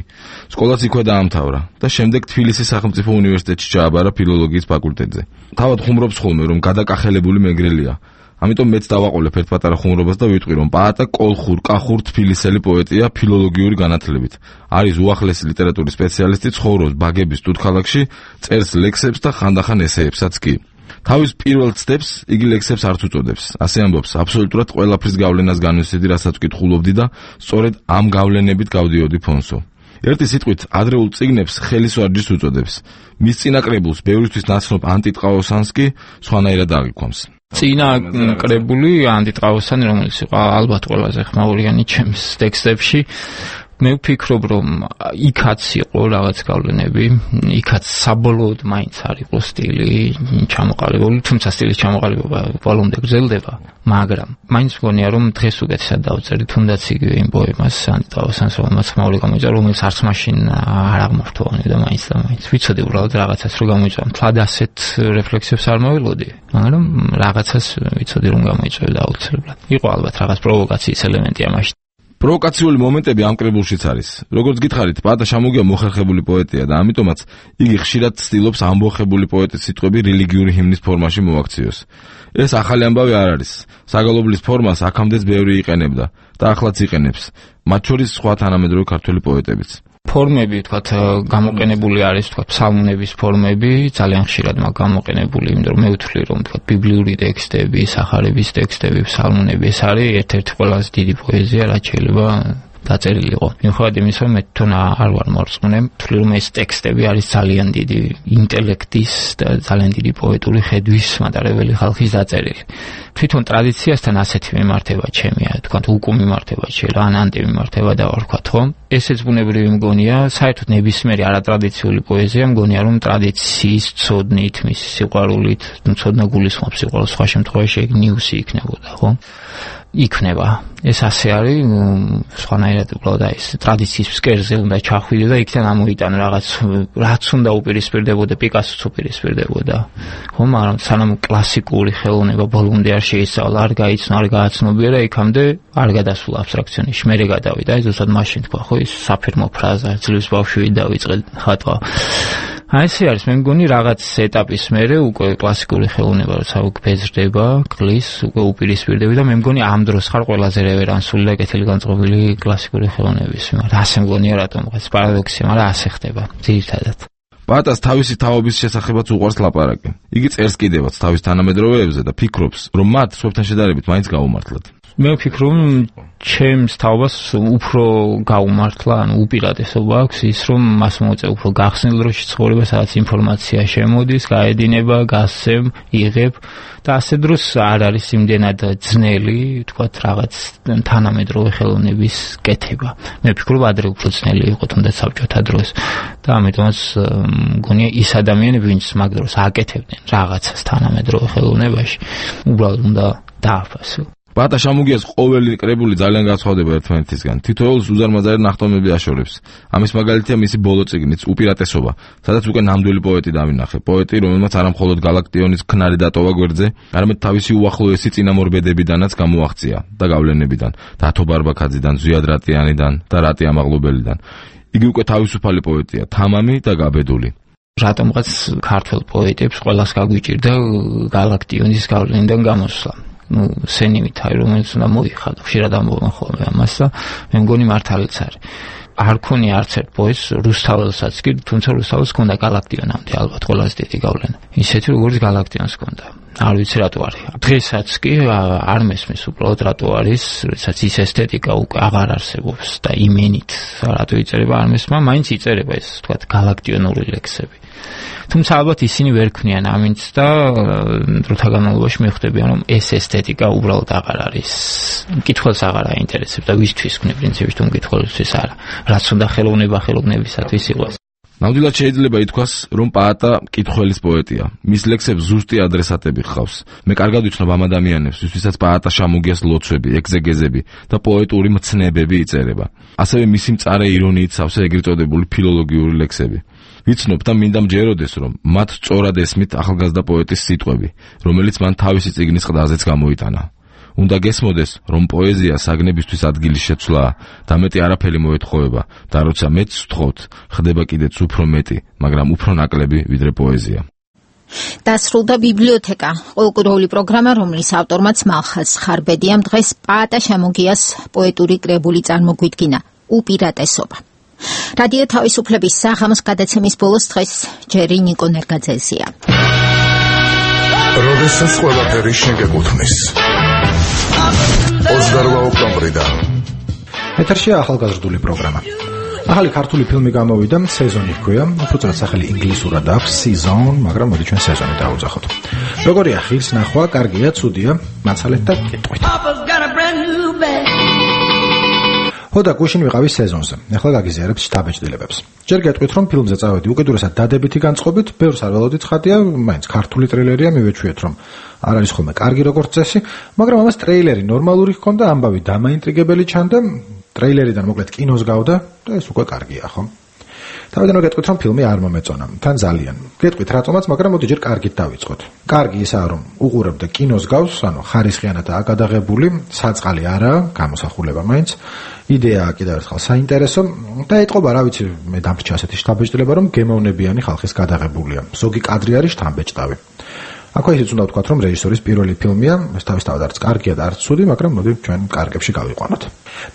სკოლაც იქვე დაამთავრა და შემდეგ თბილისის სახელმწიფო უნივერსიტეტში ჩააბარა ფილოლოგიის ფაკულტეტზე. თავად ხუმრობს ხოლმე, რომ გადაკახელებული მეგრელია. ამიტომ მეც დავაყოლებ ერთ პატარა ხუმრობას და ვიტყვი, რომ პაატა კოლხურ, კახურ თბილისელი პოეტია ფილოლოგიური განათლებით. არის უახლესი ლიტერატურის სპეციალისტი, ცხოვრობს ბაგების თუთქალაქში, წერს ლექსებს და ხანდახან ესეებსაც კი. თავის პირველ ცდებს იგი ლექსებს არც უწოდებს. ასე ამბობს, აბსოლუტურად ყველაფრის გავლენას განვისვიდი, რასაც ვკითხულობდი და სწორედ ამ გავლენებით გავდიოდი ფონსო. ერთი სიტყვით, ადრეულ წიგნებს ხელისვარჯის უწოდებს. მის წინაკრებულს ბევრისთვის ნაცნობ ანტიტყაოსანს კი სხვანაირად აღიქვამს. წინა კრებული ანტიტყაოსანი, რომელიც იყო ალბათ ყველაზე ხმაურიანი ჩემს ტექსტებში, მე ვფიქრობ, რომ იქაც იყო რაღაც გავლენები, იქაც საბოლოოდ მაინც არ იყო სტილი ჩამოყალიბებული, თუმცა სტილის ჩამოყალიბება ბოლომდე გრძელდება, მაგრამ მაინც მგონია, რომ დღეს უკეთესად დავწერდი, თუნდაც იგივე იმ პოემას ანტიტყაოსანს, რომელმაც ხმაური გამოიწერა, რომელიც არც მაშინ არ აღმართოვანი და მაინც და მაინც ვიცოდი უბრალოდ რაღაცას რო გამოიწერა, მთლად ასეთ რეფლექსიებს არ მოველოდი, მაგრამ რაღაცას ვიცოდი რომ გამოიწერა აუცილებლად. იყო ალბათ რაღაც პროვოკაციის ელემენტი ამაში. პროვოკაციული მომენტები ამ კრებულშიც არის. როგორც გითხარით, პაატა შამუგია მოხერხებული პოეტია და ამიტომაც იგი ხშირად ცდილობს ამბოხებული პოეტის სიტყვები რელიგიური ჰიმნის ფორმაში მოაქციოს. ეს ახალი ამბავი არ არის. საგალობლის ფორმას აქამდეც ბევრი იყენებდა და ახლაც იყენებს, მათ შორის სხვა თანამედროვე ქართველი პოეტებიც. ფორმები, თქვათ, გამოყენებული არის, თქვათ, ფსალმუნების ფორმები, ძალიან ხშირად მაგ გამოყენებული, იმიტომ რომ მე ვთვლი, რომ თქვათ, ბიბლიური ტექსტები, სახარების ტექსტები, ფსალმუნები, ეს არის ერთ-ერთი ყველაზე დიდი პოეზია, რაც შეიძლება დაწერილი იყო. მიუხედავად იმისა, რომ მე თვითონ არ ვარ მორწმუნე, ვთვლი, რომ ეს ტექსტები არის ძალიან დიდი ინტელექტის და ძალიან დიდი პოეტური ხედვის მატარებელი ხალხის დაწერილი. თვითონ ტრადიციასთან ასეთი მიმართება ჩემია, თქვათ, უკუ მიმართება შეიძლება, ან ანტიმიმართება დავარქვათ, ხო? ესეც ბუნებრივი მგონია, საერთოდ ნებისმიერი არატრადიციული პოეზია მგონია, რომ ტრადიციის ცოდნით, მის სიყვარულით, ცოდნა გულისხმობს სიყვარულს, სხვა შემთხვევაში ეგ ნიუსი იქნებოდა, ხო? იქნება. ეს ასე არის, სხვანაირად უბრალოდ აი ეს ტრადიციის ფსკერზე უნდა ჩახვიდე და იქიდან ამოიტანო რაღაც, რაც უნდა უპირისპირდებოდა, პიკასოც უპირისპირდებოდა. ხო, მაგრამ სანამ კლასიკური ხელოვნება ბოლომდე არ შეისწავლა, არ გაიცნო, არ გააცნობიერა, იქამდე არ გადასულა აბსტრაქციონში. მერე გადავიდა, აი ზუსტად მაშინ თქვა, ხო, ის საფირმო ფრაზა, ძლივს ბავშვი დავიწყე ხატვა. აი ესე არის, მე მგონი რაღაც ეტაპის მერე უკვე კლასიკური ხელოვნება როცა გბეზრდება, კლის, უკვე უპირისპირდები და მე მგონი ამ დროს ხარ ყველაზე რევერანსული და კეთილი განწყობილი კლასიკური ხელოვნების მიმართ. ასე მგონია რატომ, ეს პარადოქსია, მაგრამ ასე ხდება ძირითადად. პაატას თავისი თაობის შესახებაც უყვარს ლაპარაკი. იგი წერს კიდევაც თავის თანამედროვეებზე და ფიქრობს, რომ მათ სხვებთან შედარებით მაინც გაუმართლად. მე ვფიქრობ, ჩემს თაობას უფრო გაუმართლა, ანუ უპირატესობა აქვს ის, რომ მას მოუწევ უფრო გახსნილ დროში ცხოვრება, სადაც ინფორმაცია შემოდის, გაედინება, გასცემ, იღებ და ასე დროს არ არის იმდენად ძნელი, თქვათ, რაღაც თანამედროვე ხელოვნების კეთება. მე ვფიქრობ, ადრე უფრო ძნელი იყო, თუნდაც საბჭოთა დროს და ამიტომაც მგონია ის ადამიანები, ვინც მაგ დროს აკეთებდნენ რაღაცას თანამედროვე ხელოვნებაში, უბრალოდ უნდა დააფასო. პაატა შამუგიას ყოველი კრებული ძალიან განსხვავდება ერთმანეთისგან. თითოეულს უზარმაზარი ნახტომები აშორებს. ამის მაგალითია მისი ბოლო წიგნიც უპირატესობა, სადაც უკვე ნამდვილი პოეტი დავინახე. პოეტი, რომელმაც არა მხოლოდ გალაქტიონის ქნარი დატოვა გვერდზე, არამედ თავისი უახლოესი წინამორბედებიდანაც გამოაღწია და გავლენებიდან, დათო ბარბაქაძიდან, ზვიად რატიანიდან და რატი ამაღლობელიდან. იგი უკვე თავისუფალი პოეტია, თამამი და გაბედული. რატომღაც ქართველ პოეტებს ყველას გაგვიჭირდა გალაქტიონის გავლენიდან გამოსვლა. ну სენიმით არის, რომელიც უნდა მოიხადო, ხშირად ამბობენ ხოლმე ამას და მე მგონი მართალიც არის. არ ქონია არც ერთ პოეტს რუსთაველსაც კი, თუმცა რუსთაველს ჰქონდა გალაქტიონამდე ალბათ ყველაზე დიდი გავლენა. ისეთი როგორც გალაქტიონს ჰქონდა. არ ვიცი რატო არის. დღესაც კი არ მესმის უბრალოდ რატო არის, როდესაც ის ესთეტიკა უკვე აღარ არსებობს და იმენით რატო იწერება არ მესმა, მაინც იწერება ეს თქვათ გალაქტიონური ლექსები. თუმცა ალბათ ისინი ვერ ქმნიან ამინც და დროთა განმავლობაში მიხვდებიან რომ ეს ესთეტიკა უბრალოდ აღარ არის. მკითხველს აღარ აინტერესებს და ვისთვის ქმნი პრინციპით თუ მკითხველისთვის არა. რაც უნდა ხელოვნება ხელოვნებისათვის იყოს. ნამდვილად შეიძლება ითქვას, რომ პაატა მკითხველის პოეტია. მის ლექსებს ზუსტი ადრესატები ჰყავს. მე კარგად ვიცნობ ამ ადამიანებს, ვისთვისაც პაატა შემოგიას ლოცვები, ეგზეგეზები და პოეტური მცნებები იწერება. ასევე მისი მწარე ირონიით სავსე ეგრეთ წოდებული ფილოლოგიური ლექსები. ვიცნობ და მინდა მჯეროდეს, რომ მათ სწორად ესმით ახალგაზრდა პოეტის სიტყვები, რომელიც მან თავისი წიგნის ყდაზეც გამოიტანა. უნდა გესმოდეს, რომ პოეზია საგნებისთვის ადგილის შეცვლაა და მეტი არაფერი მოეთხოვება და როცა მეც ვთხოვთ, ხდება კიდეც უფრო მეტი, მაგრამ უფრო ნაკლები ვიდრე პოეზია. დასრულდა ბიბლიოთეკა, ყოველკვირეული პროგრამა, რომლის ავტორმაც მალხაზ ხარბედიამ დღეს პაატა შემოგიას პოეტური კრებული წარმოგვიდგინა, უპირატესობა. რადიო თავისუფლების საღამოს გადაცემის ბოლოს დღეს ჯერი ნიკო ნერგაძეზია. როდესაც ყველაფერი შეგეკუთვნის. ოცდაორი ოქტომბრიდან. ეთერშია ახალგაზრდული პროგრამა. ახალი ქართული ფილმი გამოვიდა, სეზონი ჰქვია, უბრალოდ სახელი ინგლისურად აქვს season, მაგრამ მოდი ჩვენ სეზონი დავუძახოთ. როგორია ხილს ნახვა, კარგია, ცუდია, მაცალეთ და კეტყვით. ხოდა გუშინ ვიყავი სეზონზე. ეხლა გაგიზიარებ შთაბეჭდილებებს. ჯერ გეტყვით, რომ ფილმზე წავედი უკიდურესად დადებითი განწყობით, ბევრს არ ველოდით ხატია, მაინც ქართული ტრეილერია, მივეჩვიეთ, რომ არ არის ხოლმე კარგი როგორც წესი, მაგრამ ამას ტრეილერი ნორმალური ჰქონდა, ამბავი დამაინტრიგებელი ჩანდა, ტრეილერიდან მოკლედ კინოს გავდა და ეს უკვე კარგია, ხო? თავიდან გეტყვით, რომ ფილმი არ მომეწონა, თან ძალიან. გეტყვით რატომაც, მაგრამ მოდი ჯერ კარგით დავიწყოთ. კარგი ისაა, რომ უყურებ და კინოს გავს, ანუ ხარისხიანადაა გადაღებული, საწყალი არაა, გამოსახულება მაინც. იდეაა კიდევ ერთხელ საინტერესო და ეტყობა, რა ვიცი, მე დამრჩა ასეთი შთაბეჭდილება, რომ გემოვნებიანი ხალხის გადაღებულია. ზოგი კადრი არის შთამბეჭდავი. აქვე ისიც უნდა ვთქვათ, რომ რეჟისორის პირველი ფილმია, ეს თავისთავად არც კარგია და არც ცუდი, მაგრამ მოდი ჩვენ კარგებში გავიყვანოთ.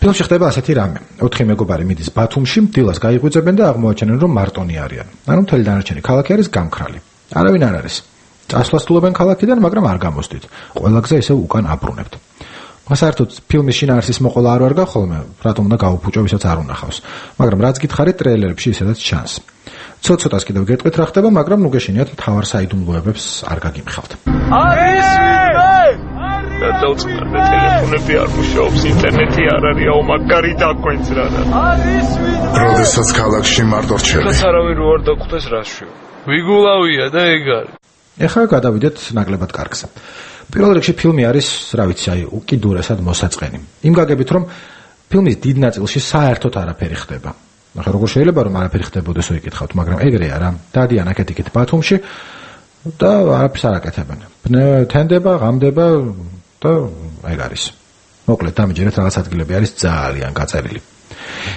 ფილმში ხდება ასეთი რამე. ოთხი მეგობარი მიდის ბათუმში, დილას გაიღვიძებენ და აღმოაჩენენ, რომ მარტონი არიან. ანუ მთელი დანარჩენი ქალაქი არის გამქრალი. არავინ არ არის. წასვლას თულებენ ქალაქიდან, მაგრამ არ გამოსდით. ყველა გზა ისევ უკან აბრუნებთ. საერთოდ ფილმის შინაარსის მოყოლა არ ვარ გახოლმე, რატომ უნდა გავუფუჭო, ვისაც არ უნახავს. მაგრამ რაც გითხარით ტრეილერებში ისედაც ჩანს. ცოტ-ცოტას კიდევ გეტყვით რა ხდება, მაგრამ ნუ გეშინიათ მთავარ საიდუმლოებებს არ გაგიმხავთ. არის ვინმე? და დავწყნარდე ტელეფონები არ მუშაობს, ინტერნეტი არ არის, აუ მაგარი დაგვენც რა და. არის ვინმე? როდესაც ქალაქში მარტო რჩები. რაც არავინ რო არ დაგხვდეს რაშიო. ვიგულავია და ეგ არის. ეხლა გადავიდეთ ნაკლებად კარგზე. პირველ რიგში ფილმი არის, რა ვიცი, აი, უკიდურესად მოსაწყენი. იმ გაგებით, რომ ფილმის დიდ ნაწილში საერთოდ არაფერი ხდება. ახლა როგორ შეიძლება რომ არაფერი ხდებოდეს, ვიკითხავთ, მაგრამ ეგრეა რა. დადიან აქეთ-იქით ბათუმში და არაფერს არ აკეთებენ. თენდება, ღამდება და ეგ არის. მოკლედ, დამიჯერეთ რაღაც ადგილები არის ძალიან გაწერილი.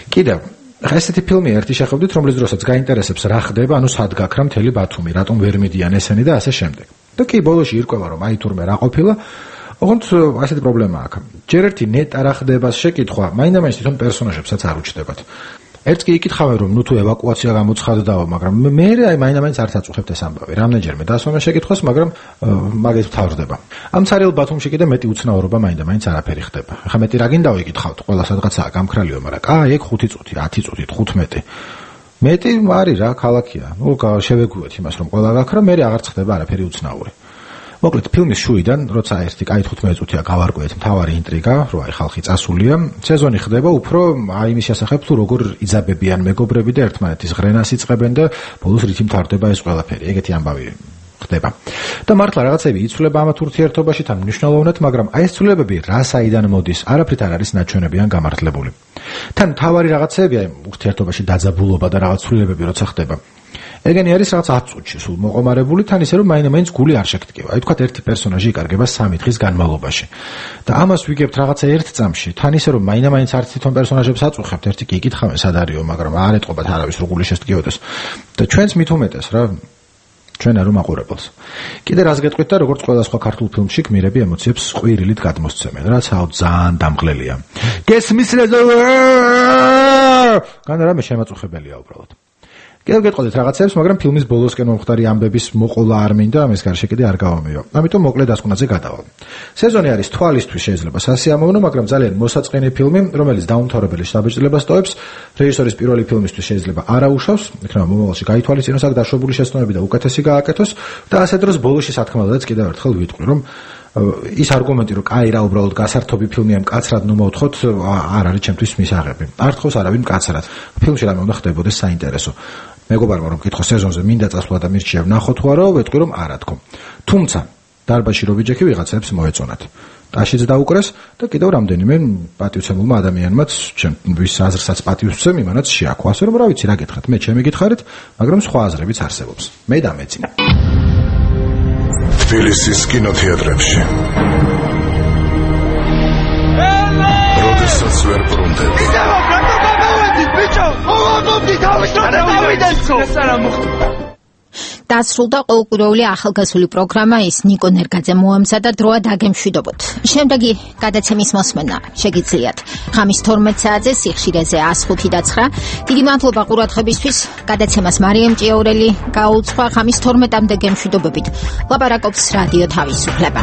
კიდევ ახლა ესეთი ფილმი ერთი შეხვდით, რომლის დროსაც გაინტერესებს რა ხდება, ანუ სად გაქრა მთელი ბათუმი, რატომ ვერ მიდიან ესენი და ასე შემდეგ. და კი ბოლოში ირკვევა, რომ აი თურმე რა ყოფილა, ოღონდ ასეთი პრობლემა აქვს. ჯერ ერთი ნეტა რა ხდებას შეკითხვა, მაინდა-მაინც თვითონ პერსონაჟებსაც არ უჩნდებათ. ერთს კი იკითხავენ, რომ ნუ თუ ევაკუაცია გამოცხადდაო, მაგრამ მე აი მაინდა-მაინც არც აწუხებთ ეს ამბავი. რამდენჯერმე დასვენა შეკითხვას, მაგრამ მაგით ვთავრდება. ამ ცარიელ ბათუმში კიდე მეტი უცნაურობა მაინდა-მაინც არაფერი ხდება. ახლა მეტი რა გინდა ვიკითხავთ, ყველა სადღაცაა გამქრალიო, მაგრამ კაი, ეგ ხუთი წუთი, ათი წუთი, თხუთმეტი. მეტი არის რა, ქალაქია. ნუ შევეგუეთ იმას, რომ ყველა გაქრა, მე აღარც ხდება არაფერი უცნაური. მოკლედ ფილმის შუიდან, როცა ერთი კაი თხუთმეტი წუთია გავარკვიეთ მთავარი ინტრიგა, რომ აი ხალხი წასულია, სეზონი ხდება უფრო აი იმის შესახებ, თუ როგორ იძაბებიან მეგობრები და ერთმანეთის ღრენას იწყებენ და ბოლოს რითი მთავრდება ეს ყველაფერი. ეგეთი ამბავი ხდება. და მართლა რაღაცები იცვლება ამათ ურთიერთობაში თან მნიშვნელოვნად, მაგრამ აი ეს ცვლილებები რა საიდან მოდის, არაფრით არ არის ნაჩვენები ან გამართლებული. თან მთავარი რაღაცები, აი ურთიერთობაში დაძაბულობა და რაღაც ცვლილებები როცა ხდება. ეგენი არის რაღაც ათ წუთში სულ მოყომარებული, თან ისე რომ მაინდა-მაინც გული არ შეგდგება. აი თქვათ ერთი პერსონაჟი იკარგება სამი დღის განმავლობაში. და ამას ვიგებთ რაღაცა ერთ წამში, თან ისე რომ მაინდა-მაინც არც თვითონ პერსონაჟებს აწუხებთ, ერთი კი იკითხავენ სად არისო, მაგრამ არ ეტყობათ არავის რო გული შესდგიოდეს. და ჩვენც მით უმეტეს რა ჩვენ არ უმაყურებელს. კიდე რას გეტყვით და როგორც ყველა სხვა ქართულ ფილმში გმირები ემოციებს ყვირილით გადმოსცემენ, რაც აუ ძალიან დამღლელია. გესმის რა გან რამე შემაწუხებელია უბრალოდ. კიდევ გეტყოდეთ რაღაცებს, მაგრამ ფილმის ბოლოსკენ მომხდარი ამბების მოყოლა არ მინდა, ამის გარშე კიდე არ გავამეო. ამიტომ მოკლედ დასკვნაზე გადავალ. სეზონი არის თვალისთვის შეიძლება სასიამოვნო, მაგრამ ძალიან მოსაწყენი ფილმი, რომელიც დაუმთავრებელი შთაბეჭდილებას ტოვებს. რეჟისორის პირველი ფილმისთვის შეიძლება არა უშავს, იქნება მომავალში გაითვალისწინოს აქ დაშვებული შეცდომები და უკეთესი გააკეთოს და ასე დროს ბოლოში სათქმელადაც კიდევ ერთხელ ვიტყვი, რომ ის არგუმენტი, რომ კაი რა უბრალოდ გასართობი ფილმია, მკაცრად ნუ მოვთხოვთ, არ არის ჩემთვის მისაღები. არ თხოვს არავინ მკაცრად. ფილმში რამე უნდა ხდებოდეს საინტერესო. მეგობარმა რომ კითხო სეზონზე მინდა წასვლა და მირჩია ვნახო თუ არა, ვეტყვი რომ არა თქო. თუმცა დარბაზში რობიჯექი ვიღაცებს მოეწონათ. ტაშიც დაუკრეს და კიდევ რამდენიმე პატივცემულმა ადამიანმაც ჩემთვის აზრსაც პატივს ვცემ, იმანაც შეაქვა. ასე რომ რა ვიცი რა გითხათ, მე ჩემი გითხარით, მაგრამ სხვა აზრებიც არსებობს. მე დამეწინა. თბილისის კინოთეატრებში. როდესაც ვერ ბრუნდები. დასრულდა ყოველკვირეული ახალგაზრდული პროგრამა ის ნიკო ნერგაძე მოამზადა დროა დაგემშვიდობოთ. შემდეგი გადაცემის მოსმენა შეგიძლიათ ხამის თორმეტ საათზე სიხშირეზე one oh five და nine. დიდი მადლობა ყურადღებისთვის. გადაცემას მარიამ ჭიაურელი გაუძღვა ხამის თორმეტამდე გემშვიდობებით. ლაპარაკობს რადიო თავისუფლება.